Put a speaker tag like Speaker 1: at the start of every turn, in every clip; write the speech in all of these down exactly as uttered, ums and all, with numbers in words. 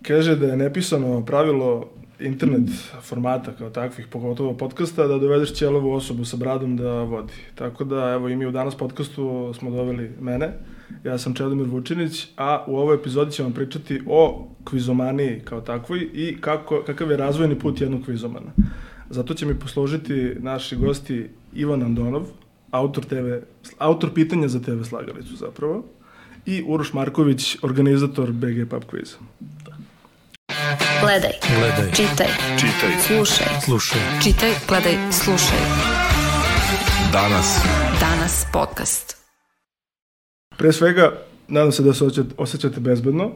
Speaker 1: kaže da je nepisano pravilo internet formata kao takvih, pogotovo podcasta, da dovedeš ćelavu osobu sa bradom da vodi. Tako da, evo, i mi u danas podcastu smo doveli mene. Ja sam Čedomir Vučinić, a u ovoj epizodi ćemo pričati o kvizomaniji kao takvoj i kako, kakav je razvojni put jednog kvizomana. Zato će mi poslužiti naši gosti Ivan Andonov, autor, te ve, autor pitanja za te ve Slagalicu zapravo, i Uroš Marković, organizator be ge Pub Quiza.
Speaker 2: Gledaj,
Speaker 3: gledaj,
Speaker 2: čitaj,
Speaker 3: čitaj,
Speaker 2: slušaj,
Speaker 3: slušaj,
Speaker 2: čitaj, gledaj, slušaj.
Speaker 3: Danas.
Speaker 2: Danas podcast.
Speaker 1: Pre svega, nadam se da se osjećate bezbedno,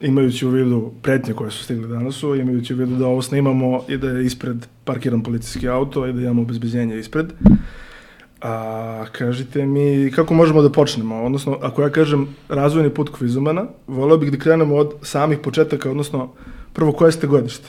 Speaker 1: imajući u vidu pretnje koje su stigli danas, imajući u vidu da ovo snimamo i da je ispred parkiran policijski auto i da imamo obezbeđenje ispred. A kažite mi, kako možemo da počnemo? Odnosno, ako ja kažem razvojni put kvizomana, voleo bih da krenemo od samih početaka, odnosno, prvo, koje ste godište?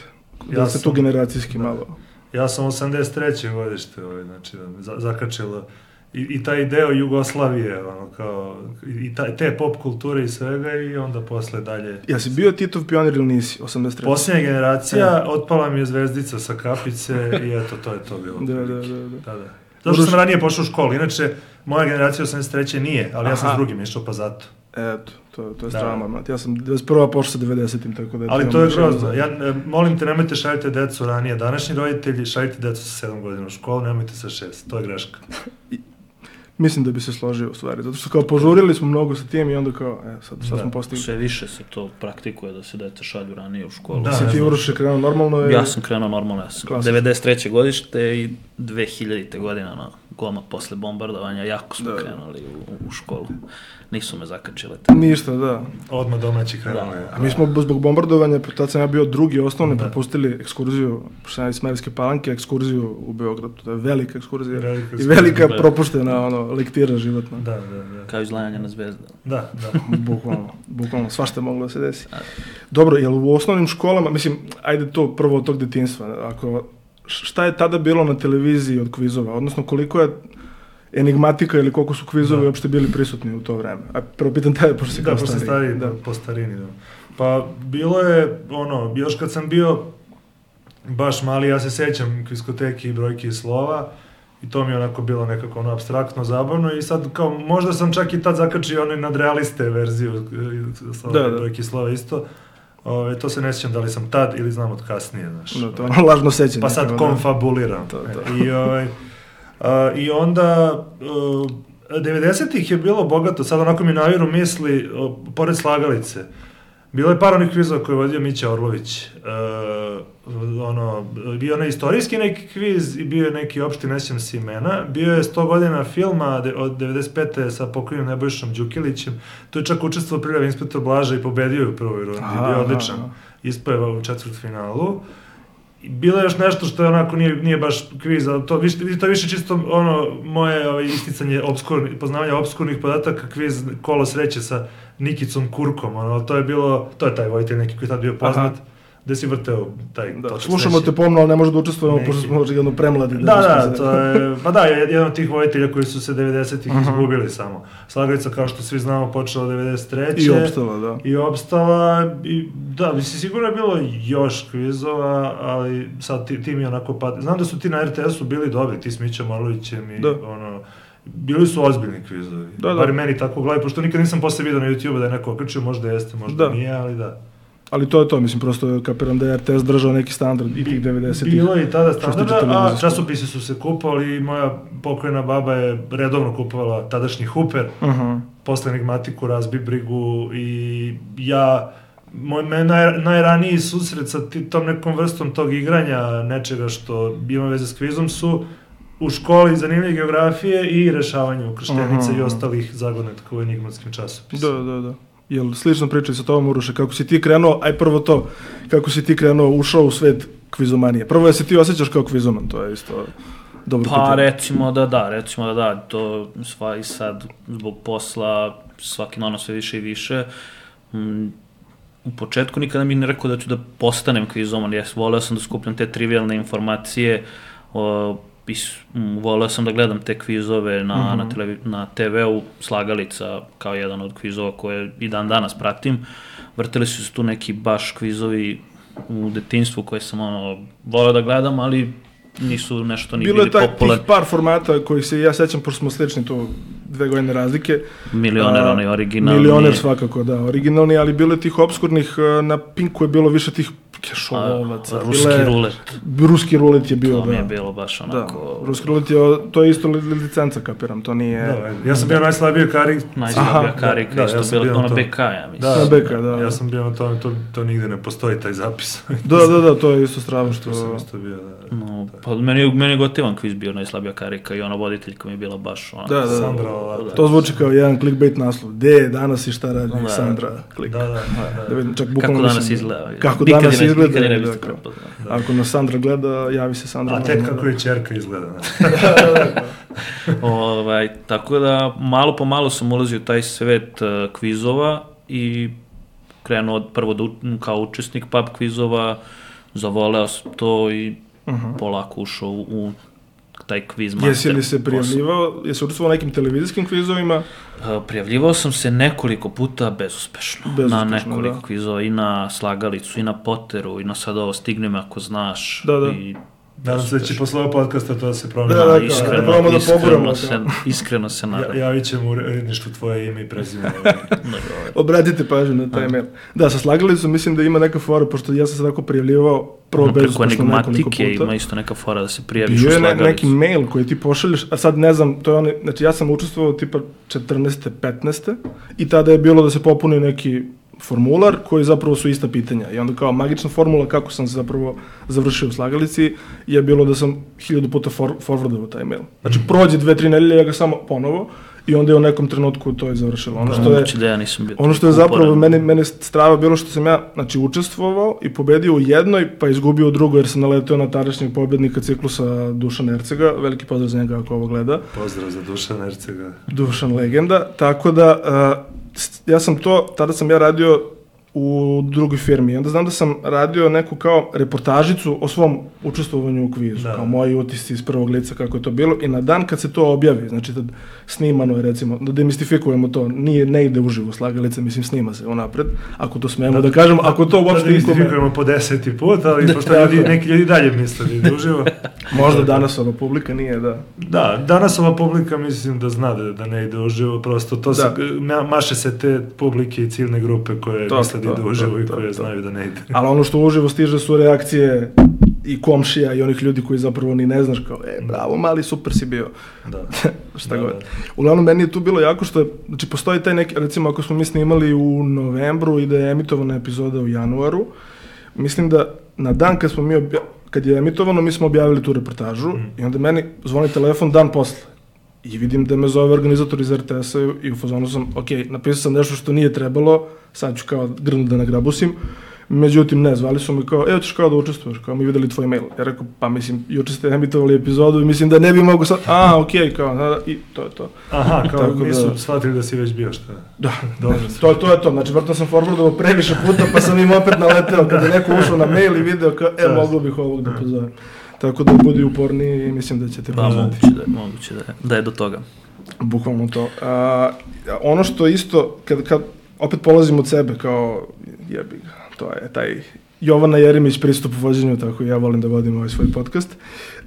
Speaker 1: Da
Speaker 4: ja
Speaker 1: ste
Speaker 4: sam,
Speaker 1: tu generacijski
Speaker 4: da,
Speaker 1: malo.
Speaker 4: Ja sam osamdeset treće godište, ovaj, znači, za, zakačilo i, i taj deo Jugoslavije, ono, kao, i ta, te pop kulture i svega, i onda posle dalje.
Speaker 1: Ja si bio Titov pionir ili nisi, osamdeset treće?
Speaker 4: Posljednja generacija, e. otpala mi je zvezdica sa kapice i eto, to je to bilo.
Speaker 1: Da, da, da, da.
Speaker 4: da, da. Zato što sam ranije pošao u školu, inače, moja generacija osamdeset treće nije, ali Aha. ja sam s drugim išao, pa zato.
Speaker 1: Eto, to, to je strama, ja sam devedeset prva pošao sa devedesetim, tako da...
Speaker 4: Ali to je grozno, ja, molim te, nemojte šaljite decu ranije, današnji roditelji, šaljite decu sa sedam godina u školu, nemojte sa šest, to je greška.
Speaker 1: Mislim da bi se složio u stvari, zato što kao požurili smo mnogo sa tim i onda kao, e, sad, sad da. smo postigli.
Speaker 5: Sve više se to praktikuje da se dete šalju ranije u školu.
Speaker 1: Da, si ti Uroš je krenuo normalno? Je...
Speaker 5: Ja sam krenuo normalno, ja sam klasično. devedeset treće godište i dve hiljadite godina, no, goma posle bombardovanja, jako smo da. krenuli u, u školu. Nisu me zakačile. Tako.
Speaker 1: Ništa, da.
Speaker 4: Odmah domaći krenuo.
Speaker 1: A mi smo zbog bombardovanja, tad sam ja bio drugi osnovne, propustili ekskurziju, pošto iz Smederevske Palanke, ekskurziju u Beogradu. To je velika ekskurzija. Velika I velika da. propuštena ono, lektira životna.
Speaker 4: Da, da, da.
Speaker 5: Kao izlajanje na zvezda.
Speaker 4: Da, da.
Speaker 1: bukvalno, bukvalno, svašta je moglo da se desi. Dobro, jel u osnovnim školama, mislim, ajde to prvo od tog detinjstva, ako, šta je tada bilo na televiziji od kvizova, odnosno koliko je enigmatika ili koliko su kvizovi da. uopšte bili prisutni u to vreme? A prvo pitam taj, pošto si kao
Speaker 4: da,
Speaker 1: stariji.
Speaker 4: Stari, da, po starini, da. Pa, bilo je, ono, još kad sam bio baš mali, ja se sećam kviskoteki i brojke i slova, i to mi je onako bilo nekako ono abstraktno, zabavno, i sad kao, možda sam čak i tad zakačio onaj nadrealiste verziju slova, da, da. brojke i slova isto. Ove, to se ne sjećam da li sam tad ili znam od kasnije, znaš.
Speaker 1: No, to je ono lažno sećanje.
Speaker 4: Pa sad konfabuliram. To, to. I, ovaj, a, i onda, uh, devedesetih je bilo bogato, sad onako mi naviru misli, o, pored Slagalice. Bilo je par onih kvizova koje je vodio Mića Orlović. Uh, ono, bio je onaj istorijski neki kviz i bio je neki opšti, ne sjećam se imena. Bio je sto godina filma de, od devedeset pete sa pokojnim Nebojšom Đukilićem. Tu je čak učestvovao Prljavi inspektor Blaža i pobedio je u prvoj rundi. Bio odličan. Ispojeva u četvrtfinalu. Bilo je još nešto što je onako nije, nije baš kviz, ali to, to je više čisto ono moje ovaj, isticanje obskurni, poznavanja obskurnih podataka, kviz Kolo sreće sa Nikicom Kurkom, ono, to je bilo, to je taj vojitelj neki koji je tad bio poznat, Aha. gde si vrteo taj
Speaker 1: da, točak slušamo sreće. Te pomno, ali ne može da učestvujemo, pošto smo jedno premladi.
Speaker 4: Da, da, da to je, pa da, jedan od tih vojitelja koji su se devedesetih uh-huh. izgubili samo. Slagalica, kao što svi znamo, počela devedeset treće.
Speaker 1: I opstala, da.
Speaker 4: I opstala, i da, mislim, sigurno je bilo još kvizova, ali sad ti, ti mi onako pati. Znam da su ti na er te esu bili dobri, ti s Mićom Orlovićem i da. ono, bili su ozbiljni kvizovi. Da, da. Bar meni tako u glavi, pošto nikad nisam posle vidio na YouTube da je neko okačio, možda jeste, možda da. nije, ali da.
Speaker 1: Ali to je to, mislim, prosto kapiram da je er te es držao neki standard i tih devedesetih.
Speaker 4: Bilo je i tada standarda, a časopisi su se kupovali i moja pokojna baba je redovno kupovala tadašnji Huper, uh-huh. posle enigmatiku, Razbi brigu, i ja, moj naj, najraniji susret sa tom nekom vrstom tog igranja, nečega što ima veze s kvizom, su u školi zanimljive geografije i rešavanje ukrštenice uh-huh. i ostalih zagonetka u enigmatskim časopisima.
Speaker 1: Da, da, da. Jel slično pričaj sa tobom, Uroše, kako si ti krenuo, aj prvo to, kako si ti krenuo, ušao u svet kvizomanije. Prvo, je se ti osjećaš kao kvizoman, to je isto dobro.
Speaker 5: Pa pitanje. recimo da da, recimo da da, to sva i sad zbog posla svaki dan sve više i više. Mm, u početku nikada mi ne rekao da ću da postanem kvizoman, ja voleo sam da skupljam te trivialne informacije, o, voleo sam da gledam te kvizove na, mm-hmm. na, televi, na te veu, Slagalica kao jedan od kvizova koje i dan danas pratim. vrtili su se tu neki baš kvizovi u detinjstvu koje sam ono, voleo da gledam, ali nisu nešto ni
Speaker 1: bilo
Speaker 5: bili
Speaker 1: popularni. Bilo
Speaker 5: popular.
Speaker 1: je tih par formata kojih se ja sećam, pošto smo slični tu dve godine razlike.
Speaker 5: Milioner,
Speaker 1: A,
Speaker 5: onaj originalni.
Speaker 1: Milioner svakako, da, originalni, ali bilo je tih obskurnih, na Pinku je bilo više tih kešolovaca.
Speaker 5: Ruski
Speaker 1: bile,
Speaker 5: rulet.
Speaker 1: Ruski rulet je bio,
Speaker 5: to
Speaker 1: da.
Speaker 5: mi je bilo baš onako...
Speaker 1: Da, ruski rulet je, to je isto licenca, kapiram, to nije...
Speaker 4: Da, ja sam bio najslabiji karik.
Speaker 5: Najslabija karika,
Speaker 4: da,
Speaker 5: isto
Speaker 4: ja sam
Speaker 5: bilo,
Speaker 4: bio
Speaker 5: ono
Speaker 4: to.
Speaker 5: B K, ja mislim.
Speaker 1: Da, B K, da.
Speaker 4: Ja sam bio na tome, to, to nigde ne postoji, taj zapis.
Speaker 1: Da, da, da, to je isto strava što...
Speaker 4: To sam isto bio, da.
Speaker 5: No, pa meni, meni je gotivan kviz bio najslabija karika i ona voditeljka mi je bila baš ona...
Speaker 1: Da, da, da.
Speaker 4: Sandra Lalata.
Speaker 1: To zvuči kao jedan clickbait naslov. Gde danas i šta radi
Speaker 5: Da,
Speaker 1: Sandra? Klik.
Speaker 4: Da, da, da.
Speaker 1: Da vidim, čak
Speaker 5: Kako
Speaker 1: bukvalno
Speaker 5: danas
Speaker 1: mislim-
Speaker 5: izgleda.
Speaker 1: Kako
Speaker 5: Nikad
Speaker 1: danas
Speaker 5: je ne-
Speaker 1: izgleda.
Speaker 5: nikad je ne
Speaker 1: da,
Speaker 5: biste
Speaker 1: kao.
Speaker 5: prepoznao.
Speaker 1: Ako nas Sandra gleda, javi se Sandra.
Speaker 4: A tek
Speaker 1: možemo
Speaker 4: kako
Speaker 1: da-
Speaker 4: je čerka izgleda.
Speaker 5: Ovaj, tako da, malo po malo sam ulazio u taj svet uh, kvizova i krenuo od prvo da, u- kao učesnik pub kvizova, zavoleo sam to i
Speaker 1: Uh-huh.
Speaker 5: polako ušao u, u taj kviz master.
Speaker 1: Jesi li se prijavljivao, jesi učestvovao u nekim televizijskim kvizovima?
Speaker 5: Uh, Prijavljivao sam se nekoliko puta bezuspešno,
Speaker 1: Bezuspešno,
Speaker 5: na nekoliko
Speaker 1: da.
Speaker 5: kvizova, i na Slagalicu, i na Potteru, i na sad ovo Stigne me ako znaš.
Speaker 1: Da, da.
Speaker 5: I
Speaker 4: Nadam se da će posle ovog podcasta to da se promeni.
Speaker 1: Da, da,
Speaker 5: da,
Speaker 1: kao,
Speaker 5: iskreno,
Speaker 1: da probamo da
Speaker 5: iskreno,
Speaker 1: poguramo,
Speaker 5: se,
Speaker 1: kao.
Speaker 5: iskreno se nadam.
Speaker 4: Ja, javit ćemo u redništvu tvoje ime i prezime.
Speaker 5: Dobro.
Speaker 1: Obratite pažnju na taj mail. Da, sa Slagalicom mislim da ima neka fora, pošto ja sam se tako prijavljivao prvo
Speaker 5: Ono, preko
Speaker 1: bezuspešno nekoliko
Speaker 5: enigmatike
Speaker 1: puta.
Speaker 5: ima isto neka fora da se prijaviš u
Speaker 1: Bio je ne,
Speaker 5: Slagalicu.
Speaker 1: neki mail koji ti pošalješ, a sad ne znam, to je onaj, znači ja sam učestvovao tipa četrnaeste, petnaeste i tada je bilo da se popuni neki formular koji zapravo su ista pitanja. I onda kao magična formula kako sam se zapravo završio u Slagalici je bilo da sam hiljadu puta for, forwardovao taj mail. Znači prođe dve, tri nedelje, ja ga samo ponovo i onda je u nekom trenutku to je završilo. Ono što je,
Speaker 5: Moguće da ja nisam bio
Speaker 1: ono što je
Speaker 5: toliko
Speaker 1: zapravo
Speaker 5: uporan.
Speaker 1: meni, meni strava bilo što sam ja znači, učestvovao i pobedio u jednoj, pa izgubio u drugoj jer sam naletio na tadašnjeg pobednika ciklusa Dušana Ercega. Veliki pozdrav za njega ako ovo gleda.
Speaker 4: Pozdrav za Dušana Ercega.
Speaker 1: Dušan legenda, tako da uh, ja sam to, tada sam ja radio u drugoj firmi i onda znam da sam radio neku kao reportažicu o svom učestvovanju u kvizu,
Speaker 4: Da.
Speaker 1: kao moji utisci iz prvog lica kako je to bilo i na dan kad se to objavi, znači da snimano je recimo, da demistifikujemo to, nije, ne ide uživo Slagalica, mislim snima se unapred, ako to smemo da, da kažemo, ako to uopšte
Speaker 4: da
Speaker 1: ikome,
Speaker 4: istifikujemo po deseti put, ali pošto ljudi, neki ljudi dalje misle da ide uživo.
Speaker 1: možda danas ova publika nije, da.
Speaker 4: Da, danas ova publika mislim da zna da, da ne ide uživo, prosto to se, ma, maše se te publike i ciljne grupe koje
Speaker 1: To,
Speaker 4: misle da
Speaker 1: to,
Speaker 4: ide uživo
Speaker 1: to,
Speaker 4: i
Speaker 1: to,
Speaker 4: koje
Speaker 1: to.
Speaker 4: znaju da ne ide.
Speaker 1: Ali ono što uživo stiže su reakcije i komšija i onih ljudi koji zapravo ni ne znaš kao, e, bravo, mali, super si bio.
Speaker 4: Da.
Speaker 1: Šta
Speaker 4: Da,
Speaker 1: god.
Speaker 4: da.
Speaker 1: Uglavnom, meni je tu bilo jako što je, znači, postoji taj neki, recimo, ako smo mi snimali u novembru i da je emitovana epizoda u januaru, mislim da na dan kad smo mi, obja- kad je emitovano, mi smo objavili tu reportažu
Speaker 4: Mm.
Speaker 1: i onda meni zvoni telefon dan posle. I vidim da me zove organizator iz R T S-a i u fazonu sam, ok, napisao sam nešto što nije trebalo, sad ću kao grnu da nagrabusim, međutim ne, zvali su me kao, evo ćeš kao da učestvuješ, kao mi videli tvoj mail. Ja rekao, pa mislim, juče ste emitovali epizodu i mislim da ne bi mogo sad, a, ok, kao, da, da, i to je to.
Speaker 4: Aha, kao
Speaker 1: Tako da-
Speaker 4: nisu shvatili da si već bio, šta?
Speaker 1: Da,
Speaker 4: Dobro.
Speaker 1: to, to je to, znači vrlo sam forwardovao previše puta pa sam im opet naleteo kada je neko ušao na mail i video kao, e,
Speaker 4: Da.
Speaker 1: mogu bih ovog da pozovem. Tako da budi uporniji i mislim da ćete
Speaker 5: Pa
Speaker 1: poznati.
Speaker 5: moguće da je, moguće da je, da je do toga.
Speaker 1: Bukvalno to. A, ono što isto, kad, kad opet polazim od sebe kao, jebi ga, to je taj Jovana Jeremić pristup u vođenju, tako i ja volim da vodim ovaj svoj podcast.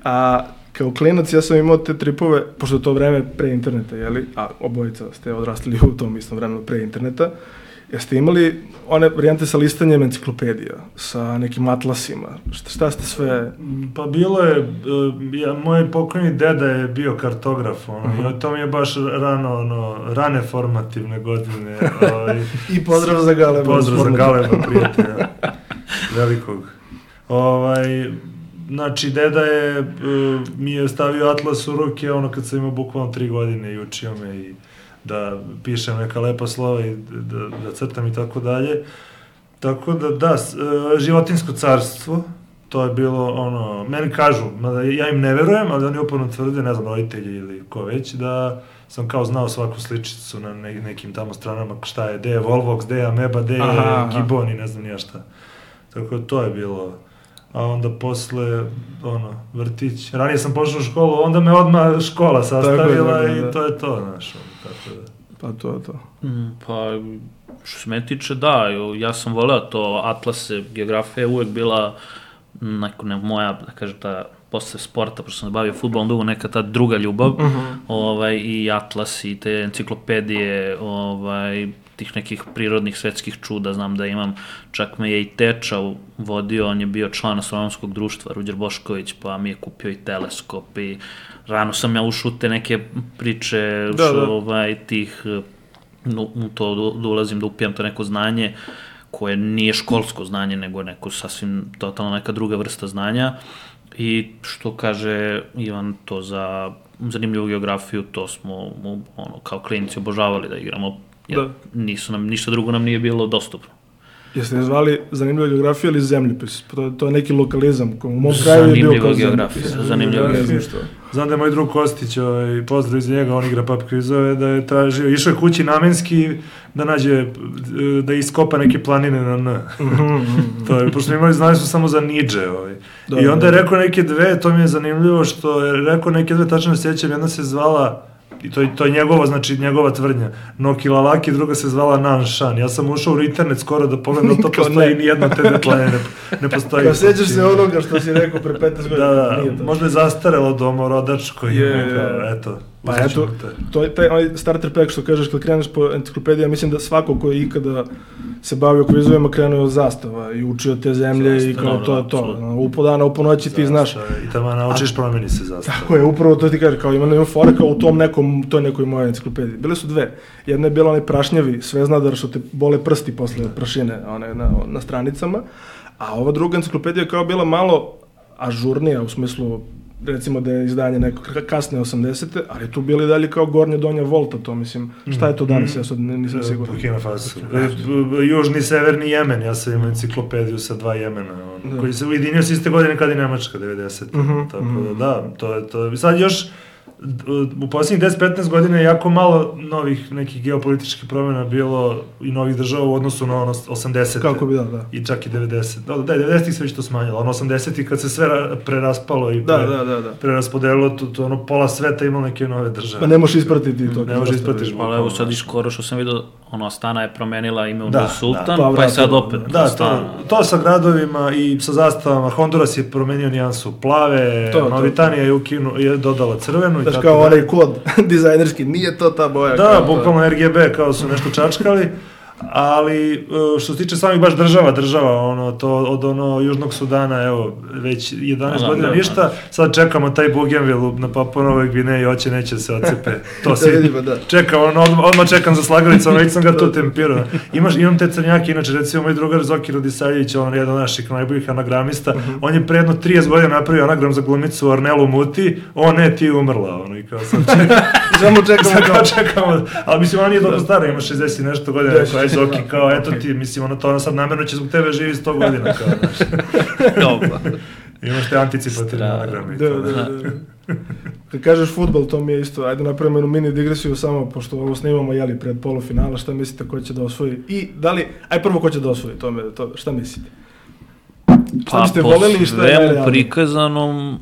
Speaker 1: A kao klinac ja sam imao te tripove, pošto je to vreme pre interneta, jeli, a obojica ste odrastali u tom istom vremenu pre interneta, jeste imali one varijante sa listanjem enciklopedija, sa nekim atlasima, šta, šta ste sve...
Speaker 4: Pa bilo je, uh, ja, moj pokojni deda je bio kartograf, ono,
Speaker 1: Mhm.
Speaker 4: i to mi je baš rano, ono, rane formativne godine. Ovaj,
Speaker 1: I pozdrav za Galeba.
Speaker 4: Pozdrav za Galeba, prijatelja, velikog. Ovaj, znači, deda je, uh, mi je stavio atlas u ruke, ono, kad sam imao bukvalno tri godine i učio me i da pišem neka lepa slova i da, da crtam i tako dalje. Tako da, da, s- e, životinjsko carstvo, to je bilo ono, meni kažu, mada ja im ne verujem, ali oni uporno tvrde, ne znam, roditelji ili ko već, da sam kao znao svaku sličicu na ne, nekim tamo stranama, šta je, gde je Volvox, gde je Ameba, gde je
Speaker 1: Aha, aha.
Speaker 4: Gibbon i ne znam nija šta. Tako da to je bilo. A onda posle, ono, vrtić. Ranije sam pošao u školu, onda me odmah škola sastavila
Speaker 1: Tako je, da,
Speaker 4: i
Speaker 1: da.
Speaker 4: to je to, znaš, ono, tako da.
Speaker 1: Pa to je to.
Speaker 5: Mm, pa što se me tiče, da, ja sam voleo to, Atlase, geografija je uvek bila neko, ne, moja, da kažem, ta posle sporta, pošto sam se bavio fudbalom dugo, neka ta druga ljubav, uh-huh. ovaj, i Atlas i te enciklopedije, ovaj, tih nekih prirodnih svetskih čuda, znam da imam, čak me je i teča vodio, on je bio član astronomskog društva, Ruđer Bošković, pa mi je kupio i teleskop i rano sam ja ušao u te neke priče,
Speaker 1: da, da.
Speaker 5: Ovaj, tih, no, to da ulazim, da upijam to neko znanje, koje nije školsko znanje, nego neko sasvim totalno neka druga vrsta znanja. I što kaže Ivan, to za zanimljivu geografiju, to smo ono, kao klinici obožavali da igramo, jer da. Nisu nam, ništa drugo nam nije bilo dostupno.
Speaker 1: Jeste ne zvali zanimljiva geografija ili zemljopis? To, to je neki lokalizam, u mom kraju je bio kao
Speaker 5: geografija, zanimljiva geografija.
Speaker 4: Znam da je moj drug Kostić, ovaj, pozdrav iz njega, on igra pub kvizove, da je tražio, išao je kući namenski da nađe, da iskopa neke planine na N. To je, pošto imali, znali su samo za Niđe. Ovaj. Da, I onda je rekao neke dve, to mi je zanimljivo, što je rekao neke dve, tačno se sjećam, jedna se zvala, i to, to je njegova, znači njegova tvrdnja, Nokilalaki, druga se zvala Nanshan. Ja sam ušao u internet skoro da pogledam da to postoji, ni jedna te dve planine ne, ne postoji.
Speaker 1: Kao sjećaš se onoga što si rekao pre petnaest godina.
Speaker 4: Da, da, možda je zastarelo domorodač koji je, je, eto.
Speaker 1: Pa eto, to je taj onaj starter pack što kažeš kad kreneš po enciklopediji, ja mislim da svako ko je ikada se bavio kvizovima krenuo od zastava i učio te zemlje zastava, i kao to je to. U po dana, u po noći ti znaš.
Speaker 4: I tamo naučiš, promeni se zastava.
Speaker 1: Tako je, upravo to ti kaže, kao ima nema fora kao u tom nekom, toj nekoj mojoj enciklopediji. Bile su dve. Jedna je bila onaj prašnjavi sveznadar što te bole prsti posle prašine one, na, na stranicama, a ova druga enciklopedija je kao bila malo ažurnija u smislu recimo da je izdanje neko kasne osamdesete, ali tu bili dalje kao gornja donja volta, to mislim, šta je to danas, ja sad nisam siguran.
Speaker 4: Burkina Faso. Južni, severni Jemen, ja sam imao enciklopediju sa dva Jemena, on, koji se ujedinio s iste godine kad je Nemačka, devedesete. Uh-huh, tako uh-huh. da, da, to je to. Sad još, u posljednjih deset do petnaest godina je jako malo novih nekih geopolitičkih promjena bilo i novih država u odnosu na ono osamdesete.
Speaker 1: Kako bi da, da.
Speaker 4: I čak i devedesete. Da, da, devedesetih se već to smanjilo. Ono osamdesetih kad se sve preraspalo i pre,
Speaker 1: da, da, da, da.
Speaker 4: preraspodelilo, to, to ono pola sveta imalo neke nove države.
Speaker 1: Pa ne možeš ispratiti to.
Speaker 4: Ne možeš ispratiti.
Speaker 5: Ali evo sad i skoro što sam vidio, ono Astana je promenila ime u da, Sultan, da, pa je sad opet
Speaker 4: da, to, to sa gradovima i sa zastavama. Honduras je promenio nijansu plave, to, Mauritanija je, ukinu, je dodala crvenu.
Speaker 1: Daš kao onaj kod dizajnerski, nije to ta boja.
Speaker 4: Da, bukvalno R G B kao su nešto čačkali, ali što se tiče samih baš država, država, ono, to od ono Južnog Sudana, evo, već jedanaest godina ništa, sad čekamo taj Bougainville na Papua Novoj Gvineji, hoće, neće se ocepe, to si čekam, ono, odmah, odmah čekam za slagalicom, već sam ga tu tempirao. Imaš, imam te crnjake, inače, recimo, moj drugar Zoki Radisavljević, on je jedan od naših najboljih anagramista, uh-huh. on je pre jedno trideset godina napravio anagram za glumicu Ornelu Muti, o ne, ti je umrla, ono, i kao sad čekam.
Speaker 1: Samo čekamo,
Speaker 4: kao čekamo, ali mislim, ona nije dobro stara, ima šezdeset nešto godina, rekao, Zoki, kao, eto ti, mislim, ono, to ono sad namjerno će zbog tebe živi sto godina, kao, znaš.
Speaker 5: Dobro.
Speaker 4: Imaš te anticipativne anagrame.
Speaker 1: Da, da, da. Kad kažeš fudbal, to mi je isto, ajde napravimo jednu mini digresiju samo, pošto ovo snimamo, jeli, pred polufinala, šta mislite ko će da osvoji? I da li, aj prvo ko će da osvoji, to me, to, šta mislite?
Speaker 5: Pa po svemu prikazanom,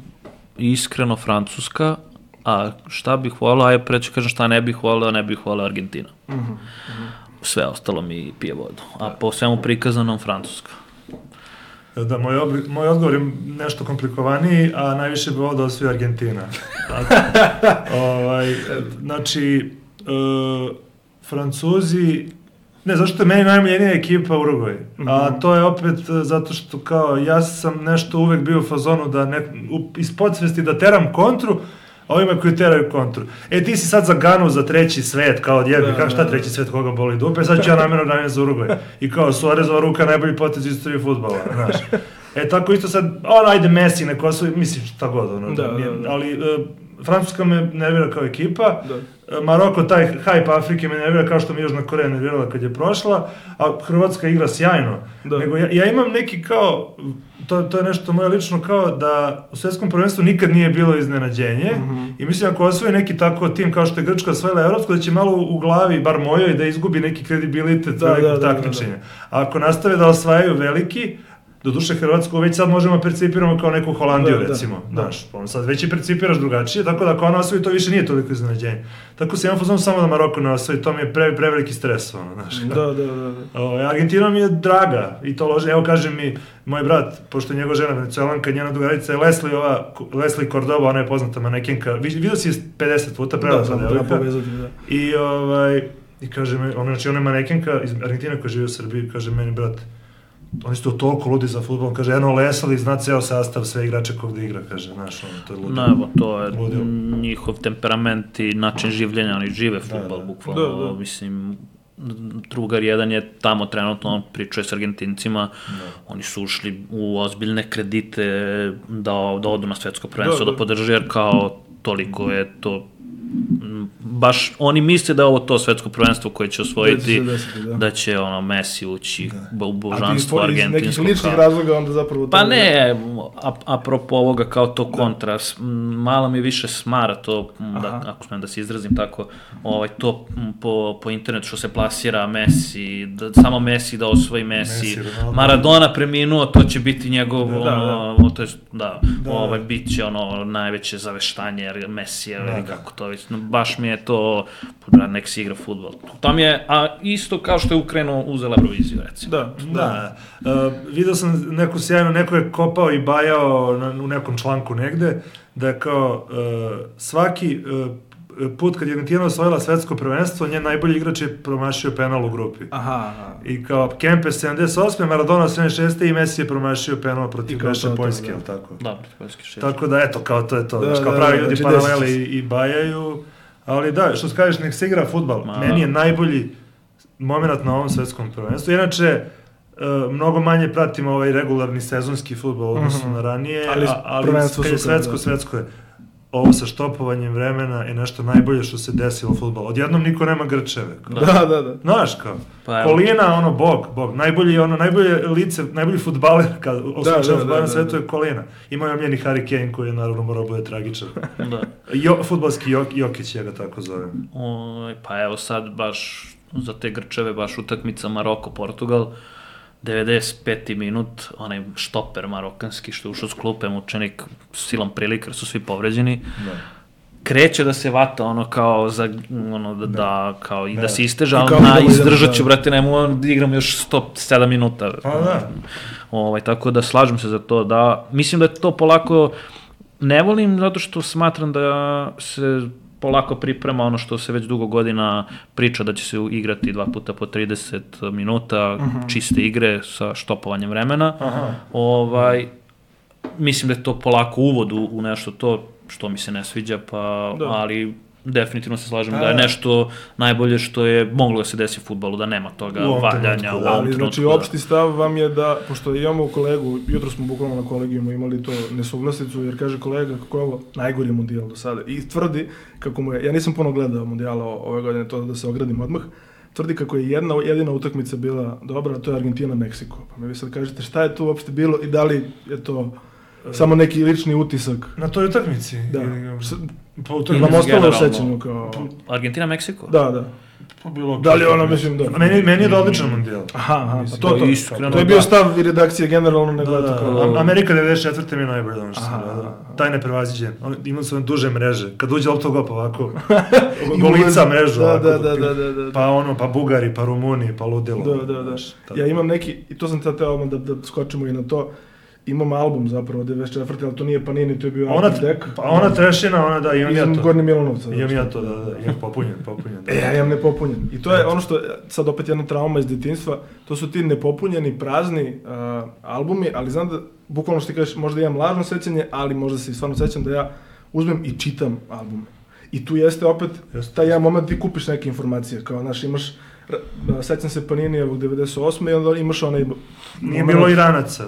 Speaker 5: iskreno Francuska, a šta bih volao, aj preći kažem šta ne bih volao, ne bih volao Argentina. Uh-huh, uh-huh. Sve ostalo mi pije vodu, a po svemu prikazanom Francuska.
Speaker 4: Da, moj, obli, moj odgovor je nešto komplikovaniji, a najviše bi volao da osvoji Argentina. A, ovaj, znači, uh, Francuzi, ne, zašto je meni najmiljenija ekipa Urugvaj, mm-hmm. a to je opet zato što kao ja sam nešto uvek bio u fazonu da ne, u, iz podsvesti da teram kontru, ovima koji teraju kontru. E, ti si sad za Ganu, za treći svet, kao odjebi, kako šta treći svet, koga boli dupe, sad ću ja namjerno navijem za Urugvaj. I kao, Suarezova ruka, najbolji potez istorije fudbala, znaš. E, tako isto sad, on, ajde Messi, neko osvoji, mislim, šta god, ono,
Speaker 1: da,
Speaker 4: nije,
Speaker 1: da, da.
Speaker 4: ali uh, Francuska me nervira kao ekipa,
Speaker 1: da.
Speaker 4: Maroko, taj hype Afrike me nervira kao što mi Južna Koreja nervirala kad je prošla, a Hrvatska igra sjajno. Da. Nego ja, ja imam neki kao, to, to je nešto moje lično kao da u svjetskom prvenstvu nikad nije bilo iznenađenje mm-hmm. i mislim ako osvoji neki tako tim kao što je Grčka osvojila evropsko, da će malo u glavi, bar mojoj, da izgubi neki kredibilitet velikog takmičenja. A ako nastave da osvajaju veliki, Doduše Hrvatsku već sad možemo percipiramo kao neku Holandiju, da, recimo,
Speaker 1: da,
Speaker 4: znaš, da. Sad već i percipiraš drugačije, tako da ako ona osvoji, to više nije toliko iznenađenje. Tako se imam fuzon samo da Maroko ne osvoji, to mi je pre, preveliki stres, ono, znaš.
Speaker 1: Da, da, da. da.
Speaker 4: O, Argentina mi je draga i to lože, evo kaže mi, moj brat, pošto je njegova žena Venecuelanka, njena drugarica je Leslie, ova, Leslie Cordoba, ona je poznata manekenka, vidio si je pedeset puta prelazla
Speaker 1: da,
Speaker 4: devojka.
Speaker 1: Da.
Speaker 4: I, ovaj, i kaže mi, ona, znači ona je manekenka iz Argentine koja živi u Srbiji, kaže meni, brat, oni su to toliko ludi za fudbal, kaže, jedno Leslie zna ceo sastav, sve igrače kog da igra, kaže, znaš, ono, to je ludilo.
Speaker 5: Evo, to je ludilo. Njihov temperament i način življenja, oni žive fudbal, da, da. bukvalno, da, da. mislim, drugar jedan je tamo trenutno, on pričuje s Argentincima, da. Oni su ušli u ozbiljne kredite da, da odu na svetsko prvenstvo, da, da. da podrže, jer kao toliko je to baš oni misle da je ovo to svetsko prvenstvo koje će osvojiti, desiti, da. da će ono Messi ući da. u božanstvo argentinskog. A ti iz nekih ličnih
Speaker 1: razloga onda zapravo...
Speaker 5: Pa ne, a, apropo ovoga kao to kontra, da. malo mi više smara to, da, ako smijem da se izrazim tako, ovaj, to po, po internetu što se plasira Messi, da, samo Messi da osvoji Messi, Messi Maradona preminuo, to će biti njegov, da, ono, da. to je, da, da. Ovaj, bit će ono najveće zaveštanje Messi, da, kako to već, baš mi je to, nek si igra fudbal. Tam je, a isto kao što je Ukrajina uzela Euroviziju, recimo.
Speaker 4: Da, da. da. Uh, vidio sam neku sjajnu, neko je kopao i bajao na, u nekom članku negde, da je kao uh, svaki uh, put kad je Argentina osvojila svetsko prvenstvo, njen najbolji igrač je promašio penal u grupi.
Speaker 1: Aha, aha.
Speaker 4: I kao Kempes sedamdeset osme, Maradona sedamdeset šeste i Messi je promašio penal protiv Kreša Poljske, ili tako?
Speaker 5: Da, protiv Poljske šest.
Speaker 4: Tako da, eto, kao to je to. Da, kao da, pravi da, ljudi znači paraleli i, i bajaju. Ali da, što kažeš, nek se igra fudbal. Ma, meni je najbolji moment na ovom svetskom prvenstvu. Inače, uh, mnogo manje pratim ovaj regularni sezonski fudbal odnosno mm-hmm. na ranije, ali, a, ali kad je svetsko, da. svetsko je. Ovo sa štopovanjem vremena je nešto najbolje što se desilo u fudbalu. Odjednom niko nema grčeve.
Speaker 1: Da, da, da.
Speaker 4: Znaš kao, pa, Kolina, ono, bog, bog. Najbolji, ono, najbolje lice, najbolji fudbaler kad osjećam fudbal na svetu je Kolina. Ima je omljeni Harry Kane koji je naravno morao bude tragičan. Da. Jo, fudbalski Jok, Jokić, ja ga tako zovem.
Speaker 5: O, pa evo sad baš za te grčeve, baš utakmica Maroko-Portugal. devedeset peti minut, onaj štoper marokanski što je ušao s klupe, mučenik silom prilika, su svi povređeni. Da. Kreće da se vata ono kao za ono da, da kao i da, da se isteže, ali na izdržat ću, brate, nemo da igram još sto sedam minuta.
Speaker 4: Pa da.
Speaker 5: Ovaj, tako da slažem se za to, da mislim da je to polako, ne volim zato što smatram da se polako priprema ono što se već dugo godina priča da će se igrati dva puta po trideset minuta, uh-huh. čiste igre sa štopovanjem vremena. Aha. Ovaj, mislim da je to polako uvod u, u nešto to što mi se ne sviđa, pa, da. ali definitivno se slažem A, da je nešto najbolje što je moglo da se desi u fudbalu, da nema toga valjanja u ovom
Speaker 1: ali, trenutku. Znači, opšti stav vam je da, pošto imamo kolegu, jutro smo bukvalno na kolegijumu imali to nesuglasicu, jer kaže kolega kako je ovo najgori mundijal do sada. I tvrdi kako mu je, ja nisam puno gledao mundijala ove godine, to da se ogradim odmah, tvrdi kako je jedna jedina utakmica bila dobra, a to je Argentina-Meksiko. Pa mi vi sad kažete šta je tu uopšte bilo i da li je to samo neki lični utisak.
Speaker 4: Na toj utakmici?
Speaker 1: Da. Pa utakmici vam ostalo u sećanju kao...
Speaker 5: Argentina-Meksiko?
Speaker 1: Da, da.
Speaker 4: Pa bilo...
Speaker 1: Da li ono, mislim, da...
Speaker 4: Meni, meni je da odličan mundijal.
Speaker 1: Aha, aha, pa to, to, iskreno, to je bio stav i redakcije generalno nego da, da, kao...
Speaker 4: Amerika devedeset četvrte mi je najbolje ono što sam gledao. Taj neprevaziđen. Imali su duže mreže. Kad uđe lopta u gol, pa ovako, golica mrežu.
Speaker 1: Da, da, da, da, da, da.
Speaker 4: Pa ono, pa Bugari, pa Rumuni, pa ludilo.
Speaker 1: Da, da, da. Ja imam neki, i to sam sad teo da, da skočimo i na to, imam album zapravo devedeset četvrte ali to nije Panini, to je bio
Speaker 4: ona, Dek. Pa ona trešina, ona da, imam ja to.
Speaker 1: Izem Gornje Milanovca.
Speaker 4: Imam ja to, da, da, imam popunjen, popunjen. Da.
Speaker 1: E, ja imam nepopunjen. I to je ono što, sad opet jedna trauma iz detinjstva, to su ti nepopunjeni, prazni uh, albumi, ali znam da, bukvalno što ti kažeš, možda imam lažno sećanje, ali možda se i stvarno sećam da ja uzmem i čitam albume. I tu jeste opet taj jedan moment ti kupiš neke informacije, kao, znaš, imaš, sećam se Paninijevog devedeset osme i onda imaš onaj...
Speaker 4: Nije bilo Iranaca.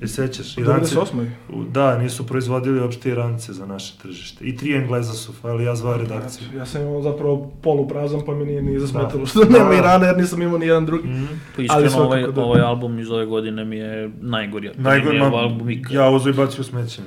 Speaker 4: Je sećaš?
Speaker 1: U devedeset osmoj
Speaker 4: Da, nisu proizvodili uopšte Irance za naše tržište. I tri Engleza su, ali ja zvao redakciju.
Speaker 1: Ja sam imao zapravo poluprazan, pa mi nije ni zasmetalo što nema Irana, jer nisam imao ni jedan drugi.
Speaker 5: Mm. Pa iskreno, ovaj, da... ovaj album iz ove godine mi je najgori.
Speaker 4: Najgori album ikad. Ja uzu i bacio smeće.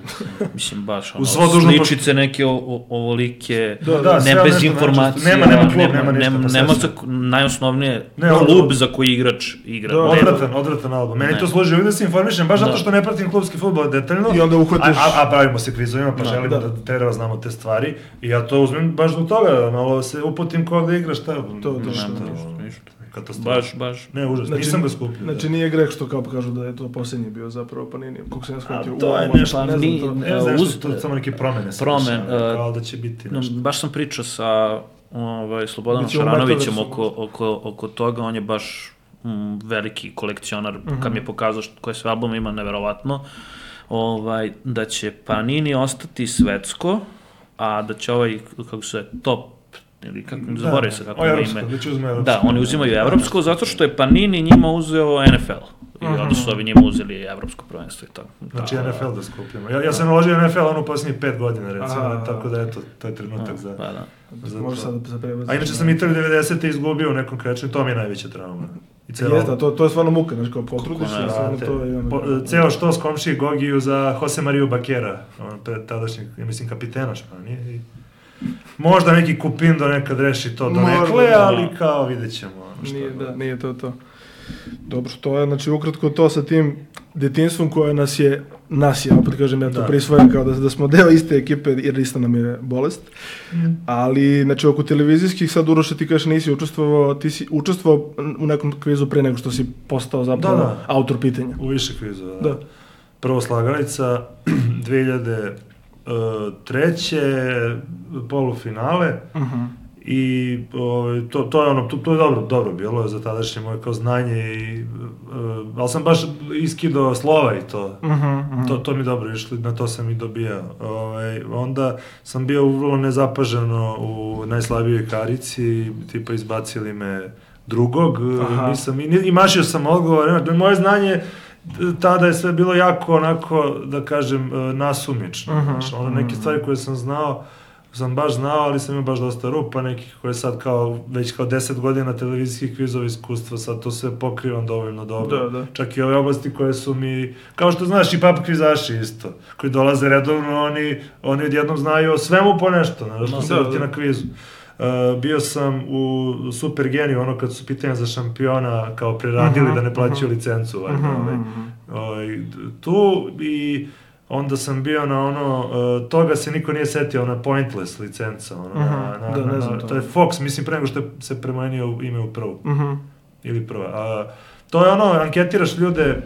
Speaker 5: Mislim, baš, ono, sličice neke o, ovolike,
Speaker 4: da, da,
Speaker 5: ne bez informacija.
Speaker 4: Nema, nema klub, nema ništa.
Speaker 5: Nema, nema za, najosnovnije ne, klub za koji igrač igra.
Speaker 4: Da, odvratan, odvratan album. Meni ne. To služi, uvijek da se informišem, baš da. Zato što ne pratim klubski fudbal detaljno.
Speaker 1: I onda uhvatiš...
Speaker 4: A, a, a pravimo se kvizovima, pa da, želimo da, da treba znamo te stvari. I ja to uzmem baš zbog toga, malo se uputim ko gde igraš, šta.
Speaker 1: To, to,
Speaker 5: ništa, ništa. Baš, baš.
Speaker 4: Ne, užasno, znači, nisam ga skupio.
Speaker 1: Znači da. Nije greh što kao kažu da je to posljednji bio zapravo, pa nije, kako se ja shvatio.
Speaker 4: A to je nešto, ne znam, to, ne znam, uz, to samo neke promene.
Speaker 5: Promen,
Speaker 4: kao da će biti nešto.
Speaker 5: No, baš sam pričao sa ovaj, Slobodanom Šaranovićem oko, oko, oko toga, on je baš mm, veliki kolekcionar, uh-huh. kad mi je pokazao što, koje sve albume ima, neverovatno, ovaj, da će Panini ostati svetsko, a da će ovaj, kako se top ili kako, zaboravim se kako ima ime. Da, oni uzimaju evropsko, zato što je Panini njima uzeo N F L. I uh-huh. onda su ovi njima uzeli evropsko prvenstvo i tako.
Speaker 4: Znači da, N F L da skupimo. Ja, ja sam naložio N F L ono u posljednjih pet godina, recimo, a, tako da eto, to je trenutak a, za...
Speaker 5: Pa da.
Speaker 1: Za može sad da se prebazi.
Speaker 4: A inače sam Italiju devedesete izgubio u nekom krečenju, to mi je najveća trauma.
Speaker 1: Jeste, to, to je stvarno muka, znači kao potrudiš se, stvarno to je...
Speaker 4: Po, ceo što s komšiji Gogiju za Jose Mariju Bakera, on tadašnji, ja mislim, kapitena Španije. I možda neki Kupindo nekad reši to do nekle, ali kao vidjet ćemo.
Speaker 1: Nije, da, nije to to. Dobro, to je, znači, ukratko to sa tim detinjstvom koje nas je, nas je, opet kažem, ja to da. prisvojam kao da, da smo deo iste ekipe, jer ista nam je bolest. Mm. Ali, znači, oko televizijskih, sad Uroše, ti kažeš nisi učestvovao, ti si učestvovao u nekom kvizu pre nego što si postao zapravo da, da. autor pitanja.
Speaker 4: U više kvizu, da. da. Prvo Slagalica, dve hiljade treće polufinale, uh-huh. i o, to, to je ono, to, to je dobro, dobro bilo za tadašnje moje kao znanje, i, uh, ali sam baš iskidao slova i to, uh-huh, uh-huh. to, to mi dobro išli, na to sam i dobijao. Ovaj, onda sam bio vrlo nezapaženo u najslabijoj karici, tipa izbacili me drugog, uh, nisam, i, i mašio sam odgovor, moje znanje tada je sve bilo jako onako, da kažem, nasumično. Uh-huh, znači, ono, neke stvari koje sam znao, sam baš znao, ali sam imao baš dosta rupa nekih koje sad kao, već kao deset godina televizijskih kvizova iskustva, sad to sve pokrivam dovoljno dobro. Da, da. Čak i ove oblasti koje su mi, kao što znaš i papa kvizaši isto, koji dolaze redovno, oni, oni odjednom znaju o svemu po nešto, znaš, što se vrti na kvizu. Uh, bio sam u Super Geniju, ono kad su pitanja za šampiona kao preradili uh-huh, da ne plaćaju uh-huh. licencu, ovaj, uh-huh, ovaj, ovaj, tu, i onda sam bio na ono, uh, toga se niko nije setio, ona Pointless licenca, ono, uh-huh, na, na, da, na, na, to. to je Fox, mislim pre nego što je se premenio ime u prvu, uh-huh. ili prva. A, to je ono, anketiraš ljude,